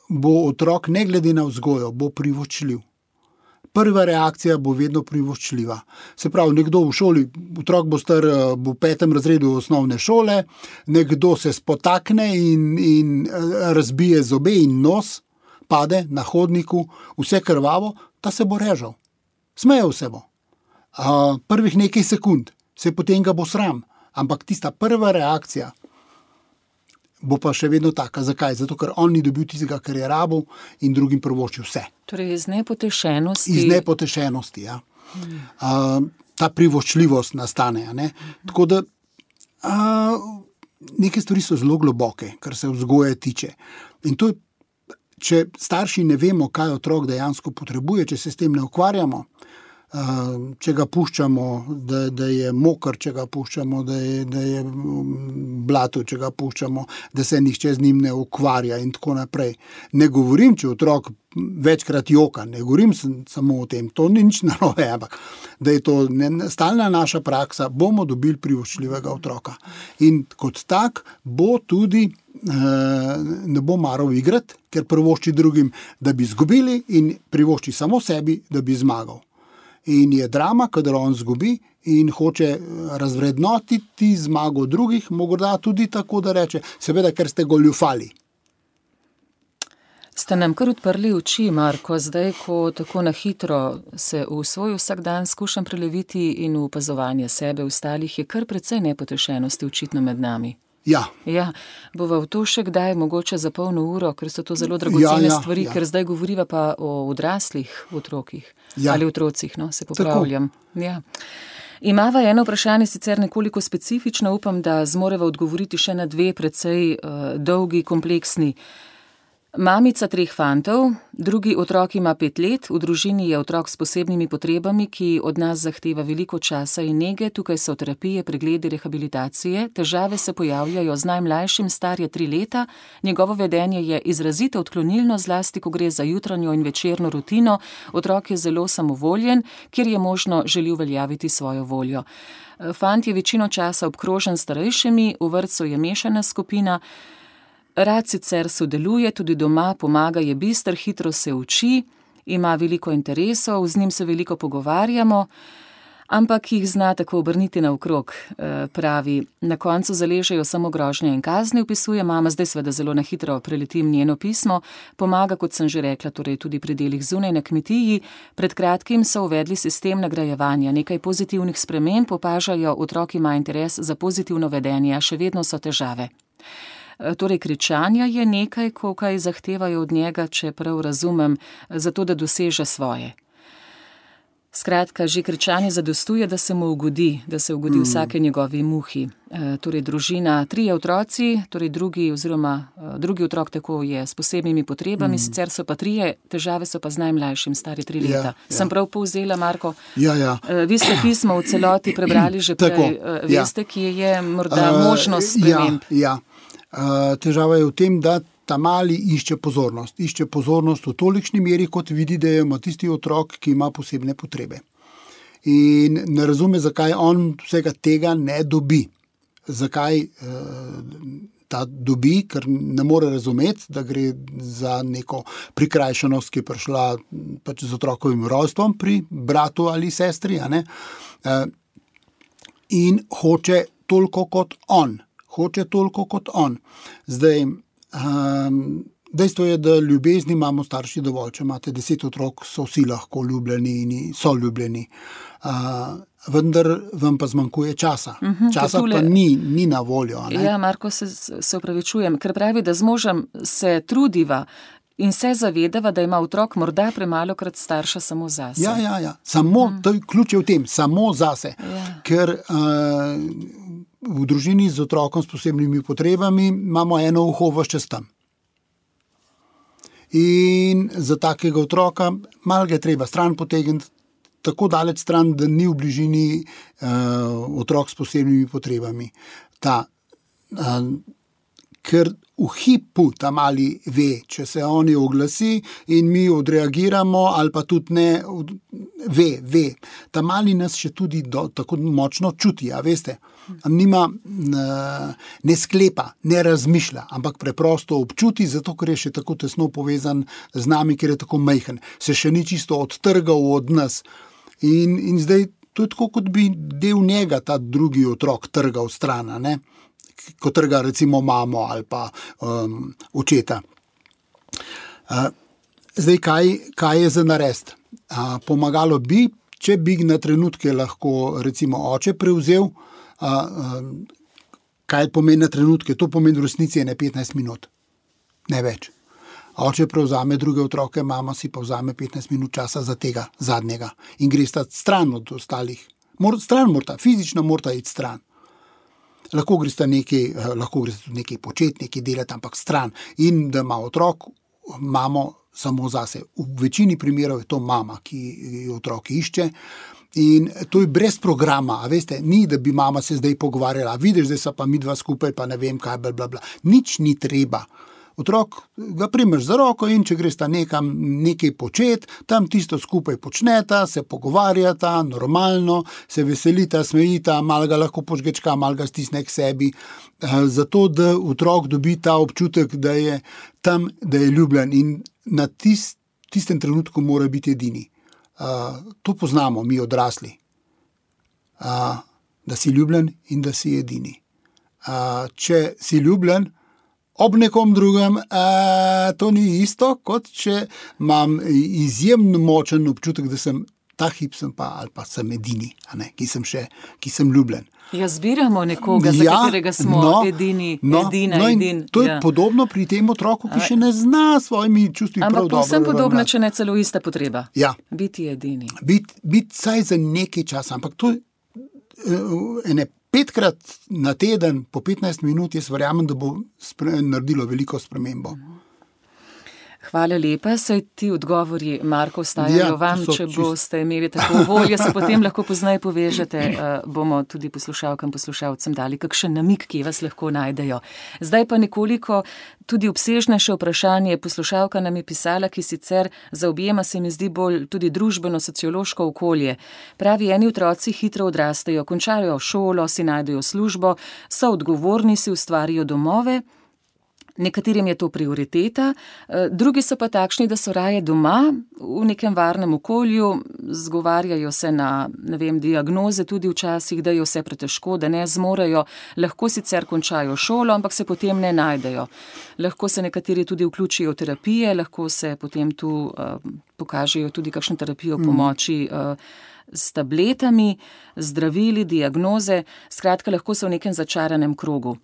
bo otrok, ne glede na vzgojo, bo privoščljiv. Prva reakcija bo vedno privoščljiva. Se pravi, nekdo v šoli, otrok bo star, bo v petem razredu osnovne šole, nekdo se spotakne in, in razbije zobe in nos, pade na hodniku, vse krvavo, ta se bo režal. Smejal se bo. A, prvih nekaj sekund, se potem ga bo sram, ampak tista prva reakcija bo pa še vedno taka. Zakaj? Zato, ker on ni dobil tistega, kar je rabil in drugim privoščil vse. Torej iz nepotešenosti. Iz nepotešenosti, ja. Hmm. Uh, ta privoščljivost nastane, a ne. Tako da uh, neke stvari so zelo globoke, kar se vzgoje tiče. In to je, če starši ne vemo, kaj otrok dejansko potrebuje, če se s tem ne ukvarjamo, uh, če ga puščamo, da, da je mokr, če ga puščamo, da je, da je blato, če ga puščamo, da se nihče z njim ne ukvarja in tako naprej. Ne govorim, če otrok večkrat joka, ne govorim samo o tem, to ni nič narobe, ampak da je to ne, stalna naša praksa, bomo dobili privoščljivega otroka. In kot tak bo tudi ne bo maral igrati, ker privošči drugim, da bi izgubili in privošči samo sebi, da bi zmagal. In je drama, kadar on izgubi in hoče razvrednotiti zmago drugih, morda tudi tako, da reče, seveda, ker ste goljufali. Ste nam kar odprli oči, Marko, zdaj, ko tako na hitro se v svoj vsakdan skušam preleviti in v opazovanje sebe ostalih, je kar precej nepotešenosti očitno med nami. Ja. Ja, bova v to še kdaj, mogoče za polno uro, ker so to zelo dragocene ja, ja, stvari, ja. Ker zdaj govoriva pa o odraslih otrokih. Ja. Ali otrocih, no, se popravljam. Ja. Imava eno vprašanje, sicer nekoliko specifično, upam, da zmoreva odgovoriti še na dve precej uh, dolgi, kompleksni. Mamica treh fantov, drugi otrok ima pet let, v družini je otrok s posebnimi potrebami, ki od nas zahteva veliko časa in nege, tukaj so terapije, pregledi, rehabilitacije, težave se pojavljajo z najmlajšim, star je tri leta, njegovo vedenje je izrazito odklonilno, zlasti ko gre za jutranjo in večerno rutino, otrok je zelo samovoljen, kjer je možno želi uveljaviti svojo voljo. Fant je večino časa obkrožen s starejšimi, v vrtcu je mešana skupina. Rad sicer sodeluje, tudi doma pomaga, je bister, hitro se uči, ima veliko interesov, z njim se veliko pogovarjamo, ampak jih zna tako obrniti naokrog, pravi. Na koncu zaležejo samo grožnje in kazni, opisuje mama, zdaj seveda zelo na hitro preletim njeno pismo, pomaga, kot sem že rekla, torej tudi pri delih zunaj na kmetiji. Pred kratkim so uvedli sistem nagrajevanja, nekaj pozitivnih sprememb, opažajo, otrok ima interes za pozitivno vedenje, a še vedno so težave. Torej, kričanja je nekaj, ko kaj zahtevajo od njega, če prav razumem, zato da doseže svoje. Skratka, že kričanje zadostuje, da se mu ugodi, da se ugodi vsake njegovi muhi. E, torej, družina, trije otroci, torej drugi oziroma drugi otrok tako je s posebnimi potrebami, mm. sicer so pa trije, težave so pa z najmlajšim, stari tri leta. Ja, ja. Sem prav povzela, Marko? Ja, ja. E, vi ste pismo v celoti prebrali že prej. Tako, e, veste, ja. Kje je morda uh, možnost sprememb? Ja, ja. Uh, težava je v tem, da ta mali išče pozornost. Išče pozornost v tolikšni meri, kot vidi, da ima tisti otrok, ki ima posebne potrebe. In ne razume, zakaj on vsega tega ne dobi. Zakaj uh, ta dobi, ker ne more razumeti, da gre za neko prikrajšanost, ki je prišla pač z otrokovim rojstvom pri bratu ali sestri, a ne? Uh, in hoče toliko kot on. Hoče toliko kot on. Zdaj, um, dejstvo je, da ljubezni imamo starši dovolj. Če imate deset otrok, so vsi lahko ljubljeni in so ljubljeni. Uh, vendar vam pa zmanjkuje časa. Uh-huh, časa tule... pa ni, ni na voljo. Ne? Ja, Marko, se, se upravičujem, ker pravi, da z možem se trudiva in se zavedava, da ima otrok morda premalo krat starša samo zase. Ja, ja, ja. Samo, uh-huh. to je ključ je v tem, samo zase. Ja. Ker... Uh, v družini z otrokom s posebnimi potrebami imamo eno uho ves čas tam. In za takega otroka malo ga je treba stran potegniti, tako daleč stran, da ni v bližini uh, otrok s posebnimi potrebami. Ta, uh, ker v hipu ta mali ve, če se oni oglasi in mi odreagiramo, ali pa tudi ne, ve, ve. Ta mali nas še tudi do, tako močno čuti, a veste. Nima, ne sklepa, ne razmišlja, ampak preprosto občuti, zato ker je še tako tesno povezan z nami, ker je tako majhen. Se še ni čisto odtrgal od nas. In, in zdaj to je tako, kot bi del njega ta drugi otrok trgal stran, ne? Ko trga recimo mamo ali pa um, očeta. Uh, zdaj, kaj, kaj je za narediti? Uh, pomagalo bi, če bi na trenutke lahko recimo oče prevzel. Uh, um, kaj pomeni na trenutke? To pomeni v resnici ne petnajst minut, ne več. Oče prevzame druge otroke, mama si pa vzame petnajst minut časa za tega zadnjega in gre sta stran od ostalih. Mor, stran morata, fizično morata iti stran. Lahko gre sta nekaj, lahko gre sta tudi nekaj početi, nekaj delati, ampak stran. In da ima otrok, mamo samo zase. V večini primerov je to mama, ki otrok išče. In to je brez programa, a veste, ni, da bi mama se zdaj pogovarjala, vidiš, zdaj so pa mi dva skupaj, pa ne vem kaj, bla, bla, bla. Nič ni treba. Otrok ga primeš za roko in če gresta nekam nekaj počet, tam tisto skupaj počneta, se pogovarjata, normalno, se veselita, smejita, malo ga lahko požgečka, malo ga stisne k sebi, zato da otrok dobi ta občutek, da je tam, da je ljubljen in na tist, tistem trenutku mora biti edini. Uh, to poznamo mi odrasli, uh, da si ljubljen in da si edini. Uh, če si ljubljen, ob nekom drugem, uh, to ni isto, kot če imam izjemno močen občutek, da sem ta hip sem pa, ali pa sem edini, a ne, ki sem še, ki sem ljubljen. Ja, zbiramo nekoga, ja, za katerega smo no, edini, no, edina, no edin. To je ja. Podobno pri tem otroku, ki še ne zna svojimi čustvi prav dobro. Ampak povsem podobno, če ne celo ista potreba. Ja. Biti edini. Biti bit saj za nekaj časa, ampak to uh, ene petkrat na teden, po petnajst minut, jaz verjamem, da bo spre, naredilo veliko spremembo. Hvala lepa, saj ti odgovori, Marko, ostajajo Ja, vam, to so če čist- boste imeli tako voljo, se potem lahko pozneje povežete, eh, bomo tudi poslušalkam, poslušalcem dali kakšen namig, ki vas lahko najdejo. Zdaj pa nekoliko tudi obsežnejše vprašanje. Poslušalka nam je pisala, ki sicer zaobjema, se mi zdi, bolj tudi družbeno-sociološko okolje. Pravi, eni otroci hitro odrastejo, končajo šolo, si najdejo službo, so odgovorni, si ustvarijo domove. Nekaterim je to prioriteta, eh, drugi so pa takšni, da so raje doma, v nekem varnem okolju, zgovarjajo se na, ne vem, diagnoze tudi včasih, da je vse pretežko, da ne zmorejo, lahko sicer končajo šolo, ampak se potem ne najdejo. Lahko se nekateri tudi vključijo v terapije, lahko se potem tu eh, pokažejo tudi kakšno terapijo pomoči eh, s tabletami, zdravili, diagnoze, skratka, lahko so v nekem začaranem krogu.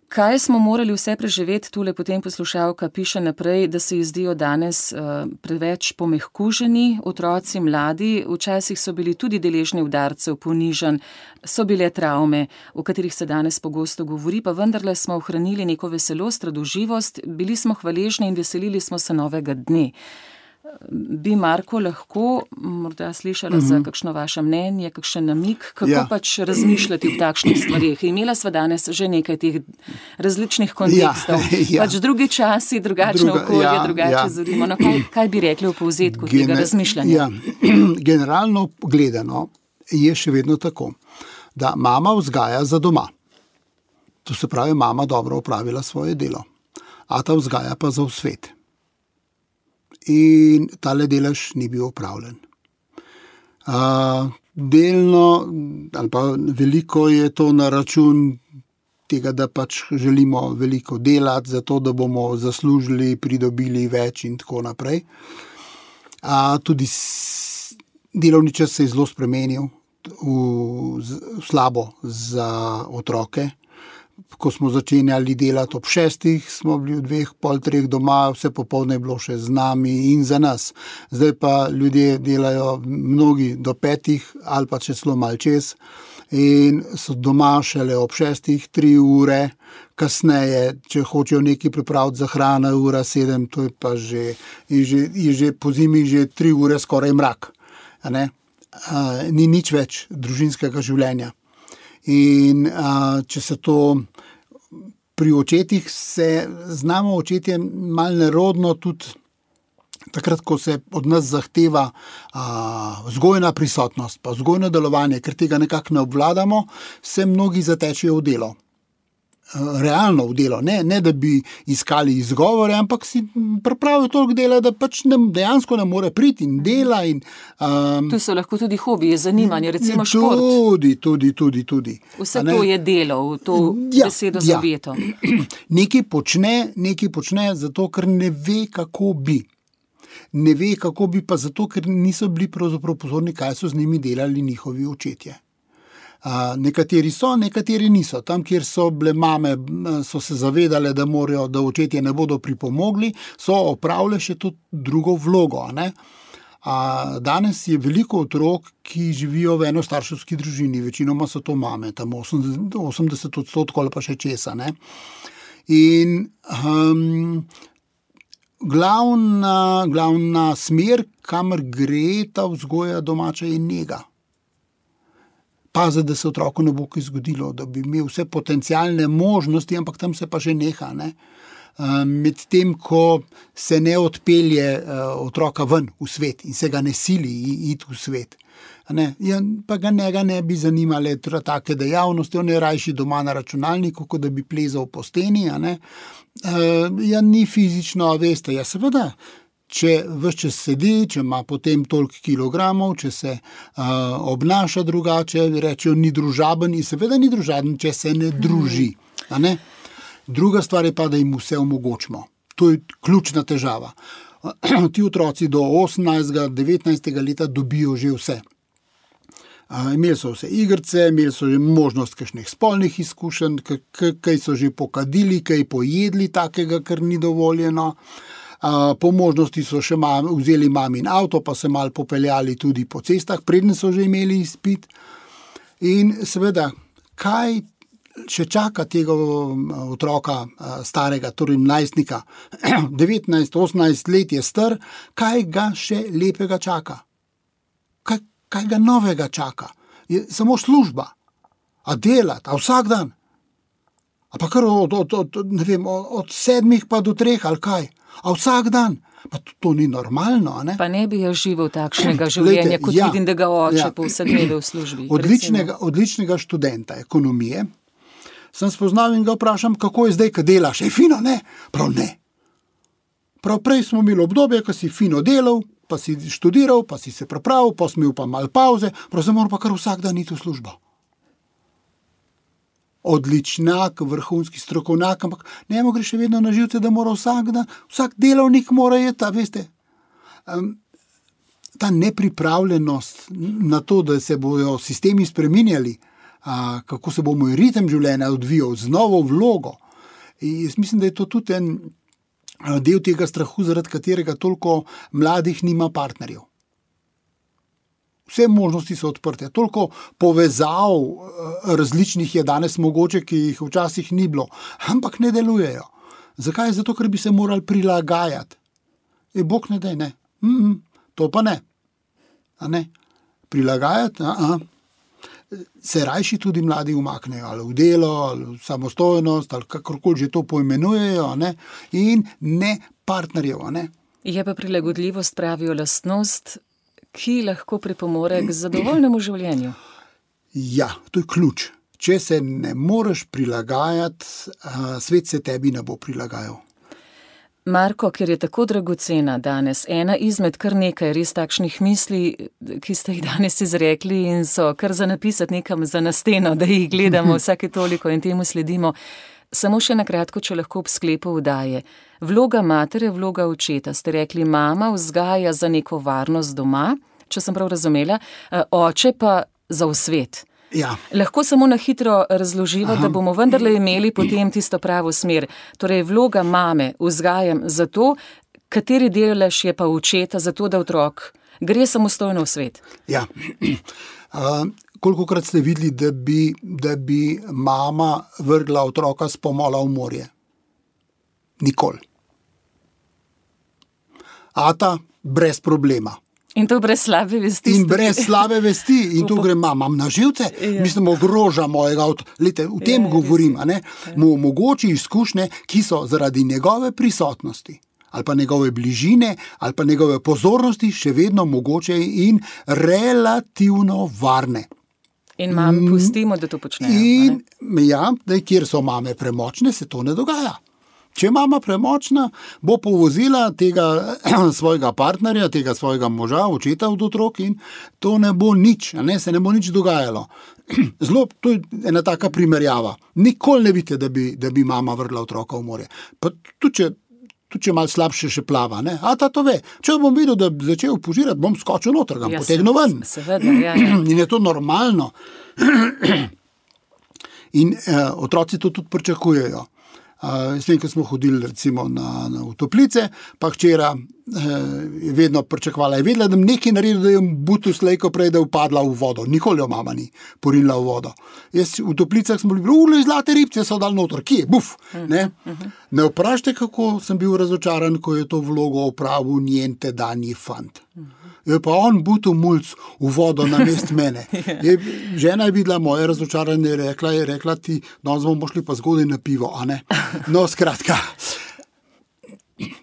Kaj smo morali vse preživeti, tule potem poslušalka piše naprej, da se ji zdijo danes uh, preveč pomehkuženi otroci, mladi, včasih so bili tudi deležni udarcev, ponižanj, so bile travme, o katerih se danes pogosto govori, pa vendarle smo ohranili neko veselost, radoživost, bili smo hvaležni in veselili smo se novega dne. Bi, Marko, lahko morda slišala mm-hmm. za kakšno vaše mnenje, kakšen namig, kako ja. pač razmišljati v takšnih stvarih. Imela sva danes že nekaj teh različnih kontekstov. Ja, ja. Pač drugi časi, drugačno Druga, okolje, ja, drugače ja. zorimo. No, kaj, kaj bi rekli v povzetku Gene, tega razmišljanja? Ja. Generalno gledano je še vedno tako, da mama vzgaja za doma. To se pravi, mama dobro opravila svoje delo. Ata vzgaja pa za v svet. In tale delež ni bil opravljen. Uh, delno, ali pa veliko je to na račun tega, da pač želimo veliko delati, zato da bomo zaslužili, pridobili več in tako naprej. Uh, tudi s, delovni čas se je zelo spremenil v, v slabo za otroke. Ko smo začenjali delati ob šestih, smo bili v dveh, pol treh doma, vse popoldne je bilo še z nami in za nas. Zdaj pa ljudje delajo mnogi do petih ali pa če celo malo čez in so doma šele ob šestih, tri ure, kasneje, če hočejo nekaj pripraviti za hrano, ura sedem, to je pa že, je že, je že po zimi že tri ure skoraj mrak. A ne? A, ni nič več družinskega življenja. In a, če se to pri očetih se znamo očetje malo nerodno tudi takrat, ko se od nas zahteva a, vzgojna prisotnost, pa vzgojno delovanje, ker tega nekako ne obvladamo, se mnogi zatečejo v delo. Realno v delo, ne, ne da bi iskali izgovore, ampak si pripravijo toliko dela, da pač ne, dejansko ne more priti in dela. In, um, tu so lahko tudi hobiji, zanimanje, recimo šport. Tudi, tudi, tudi. tudi Vse to je delo, v to ja, besedo ja. zaveto. Nekaj počne, nekaj počne zato, ker ne ve, kako bi. Ne ve, kako bi pa zato, ker niso bili pravzaprav pozorni, kaj so z njimi delali njihovi očetje. Uh, nekateri so, nekateri niso. Tam, kjer so bile mame, so se zavedale, da morajo, da očetje ne bodo pripomogli, so opravile še to drugo vlogo. Ne? Uh, danes je veliko otrok, ki živijo v enostarševski družini, večinoma so to mame, tam osemdeset odstotkov ali pa še česa. Ne? In um, glavna, glavna smer, kamor gre ta vzgoja domača, je nega. Pazi, da se otroku ne bo kaj zgodilo, da bi imel vse potencialne možnosti, ampak tam se pa že neha. Ne? Med tem, ko se ne odpelje otroka ven v svet in se ga ne sili iti v svet. Ne? Ja, pa ga njega ne bi zanimale take dejavnosti, on je rajši doma na računalniku, kot da bi plezal po steni. A ne? Ja, ni fizično, veste, ja seveda. Če ves čas sedi, če ima potem toliko kilogramov, če se uh, obnaša drugače, rečejo, ni družaben in seveda ni družaben, če se ne druži. A ne? Druga stvar je pa, da jim vse omogočimo. To je ključna težava. Ti otroci do osemnajstega, devetnajstega leta dobijo že vse. Uh, imeli so vse igrice, imeli so že možnost kakšnih spolnih izkušenj, kaj so že pokadili, kaj pojedli takega, kar ni dovoljeno. Uh, po možnosti so še mam, vzeli mamin avto, pa se malo popeljali tudi po cestah, predne so že imeli izpit. In seveda, kaj še čaka tega otroka starega, torej najstnika, devetnajst, osemnajst let je star, kaj ga še lepega čaka? Kaj, kaj ga novega čaka? Je samo služba, a delati, a vsak dan? A pa kar od, od, od, ne vem, od sedmih pa do treh, ali kaj? A vsak dan? Pa to, to ni normalno, a ne? Pa ne bi jaz živel takšnega življenja, kot ja, vidim, da ga oče ja. po vse dneve v službi. Odličnega, odličnega študenta ekonomije sem spoznal in ga vprašam, kako je zdaj, ko delaš. Je fino, ne? Prav ne. Prav prej smo imeli obdobje, ko si fino delal, pa si študiral, pa si se pripravil, pa si imel pa malo pauze, prav se mora pa kar vsak dan iti v službo. Odličnak, vrhunski strokovnjak, ampak njemu gre še vedno na živce, da mora vsak dan, vsak delovnik mora jeti, veste. Um, ta nepripravljenost na to, da se bojo sistemi spreminjali, a, kako se bo moj ritem življenja odvijal z novo vlogo. In jaz mislim, da je to tudi en del tega strahu, zaradi katerega toliko mladih nima partnerjev. Vse možnosti so odprte. Toliko povezav različnih je danes mogoče, ki jih včasih ni bilo, ampak ne delujejo. Zakaj? Zato, ker bi se morali prilagajati. E, Bog ne daj, ne. Mm-mm, to pa ne. A ne? Prilagajati, a-a. Se rajši tudi mladi umaknejo, ali v delo, ali v samostojnost, ali kakorkoli že to poimenujejo, ne? In ne partnerjev, a ne. Je pa prilagodljivost, pravijo, lastnost, ki lahko pripomore k zadovoljnemu življenju. Ja, to je ključ. Če se ne moreš prilagajati, svet se tebi ne bo prilagajal. Marko, ker je tako dragocena danes, ena izmed kar nekaj res takšnih misli, ki ste jih danes izrekli in so kar za napisati nekam za na steno, da jih gledamo vsake toliko in temu sledimo. Samo še nakratko, če lahko ob sklepu vdaje. Vloga matere, vloga očeta. Ste rekli, mama vzgaja za neko varnost doma, če sem prav razumela, oče pa za v svet. Ja. Lahko samo na hitro razloživa, Aha. da bomo vendarle imeli potem tisto pravo smer. Torej, vloga mame vzgajam za to, kateri delež je pa očeta, za to, da otrok gre samostojno v svet. Ja. Uh, kolikokrat ste videli, da bi, da bi mama vrgla otroka s pomola v morje? Nikoli. Ata, brez problema. In to brez slabe vesti. In brez slabe vesti. In tu gre, imam na živce, ja. Mislim, ogroža mojega. Lete, v tem ja, govorim, a ne? Mu omogoči izkušnje, ki so zaradi njegove prisotnosti, ali pa njegove bližine, ali pa njegove pozornosti še vedno mogoče in relativno varne. In mami pustimo, da to počnejo. In ja, da kjer so mame premočne, se to ne dogaja. Če je mama premočna, bo povozila tega svojega partnerja, tega svojega moža, očeta od otrok in to ne bo nič, a ne, se ne bo nič dogajalo. Zelo, to je ena taka primerjava. Nikoli ne vidite, da bi, da bi mama vrgla otroka v morje. Pa tudi, če, tudi če malo slabše še plava, ne? A ta to ve. Če bom videl, da bi začel požirati, bom skočil noter, ga ja, potegnil ven. Seveda, ja, ja. In je to normalno. In eh, otroci to tudi pričakujejo. Uh, s tem, ko smo hodili recimo na, na v toplice, pa hčera eh, je vedno pričakovala, je vedela, da bi nekaj naredil, da je butu slejko prej, da je upadla v vodo. Nikoli jo mama ni porinila v vodo. Jaz v toplicah smo bili, ule, zlate ribce so dal noter, kje, buf, ne? Ne vprašajte, kako sem bil razočaran, ko je to vlogo opravil njen tedanji fant. Je pa on butu mulc v vodo na mest mene. Je, žena je videla moje razočaranje, rekla je, rekla ti, danes bomo šli pa zgodaj na pivo, a ne? No, skratka.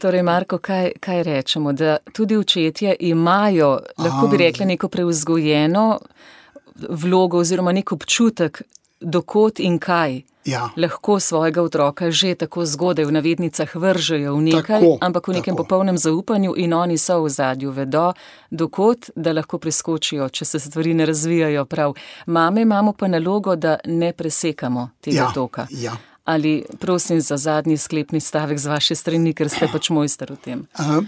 Torej, Marko, kaj, kaj rečemo? Da tudi očetje imajo, lahko bi rekli, neko preuzgojeno vlogo oziroma nek občutek, dokot in kaj. Ja. Lahko svojega otroka že tako zgodaj v navednicah vržejo v nekaj, tako, ampak v nekem tako. popolnem zaupanju in oni so v zadju, vedo, dokot, da lahko preskočijo, če se stvari ne razvijajo prav. Mame imamo pa nalogo, da ne presekamo tega ja, toka. Ja. Ali prosim za zadnji sklepni stavek z vaše strani, ker ste pač mojster v tem. Uh,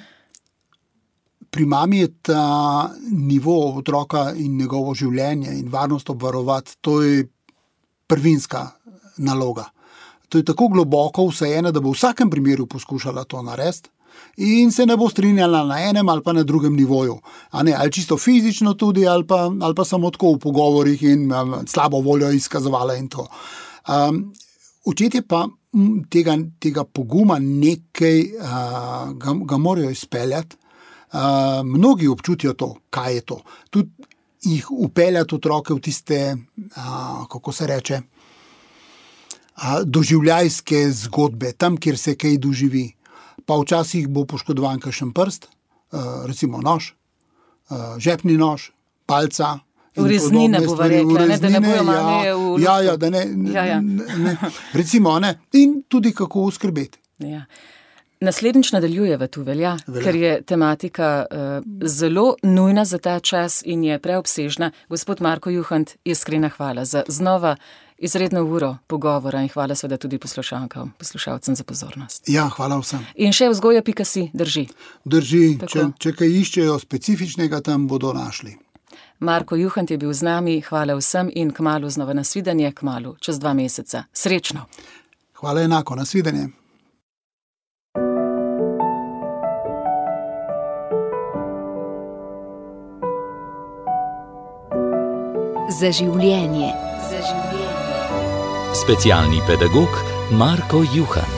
pri mami je ta nivo otroka in njegovo življenje in varnost obvarovati, to je prvinska naloga. To je tako globoko vseeno, da bo v vsakem primeru poskušala to narediti in se ne bo strinjala na enem ali pa na drugem nivoju. A ne, ali čisto fizično tudi, ali pa, ali pa samo tako v pogovorih in um, slabo voljo izkazovala in to. Um, očetje pa tega, tega poguma nekaj uh, ga, ga morajo izpeljati. Uh, mnogi občutijo to, kaj je to. Tudi jih upeljati otroke v tiste, uh, kako se reče, uh, doživljajske zgodbe, tam, kjer se kaj doživi. Pa včasih bo poškodovan kakšen prst, uh, recimo nož, uh, žepni nož, palca. Ureznine bo rekla, ne, da ne bojo mame ja, v... Ja, ja, da ne, ja, ja. ne, ne recimo, ne, in tudi kako uskrbeti. Ja. Naslednjič nadaljujeva tu, velja, velja, ker je tematika uh, zelo nujna za ta čas in je preobsežna. Gospod Marko Juhant, iskrena hvala za znova izredno uro pogovora in hvala seveda tudi poslušalkam, poslušalcem za pozornost. Ja, hvala vsem. In še vzgoja pika si drži. Drži, če, če kaj iščejo specifičnega, tam bodo našli. Marko Juhant je bil z nami, hvala vsem in kmalu znova nasvidenje, kmalu, čez dva meseca. Srečno. Hvala enako, nasvidenje. Za življenje. Za življenje. Specialni pedagog Marko Juhant.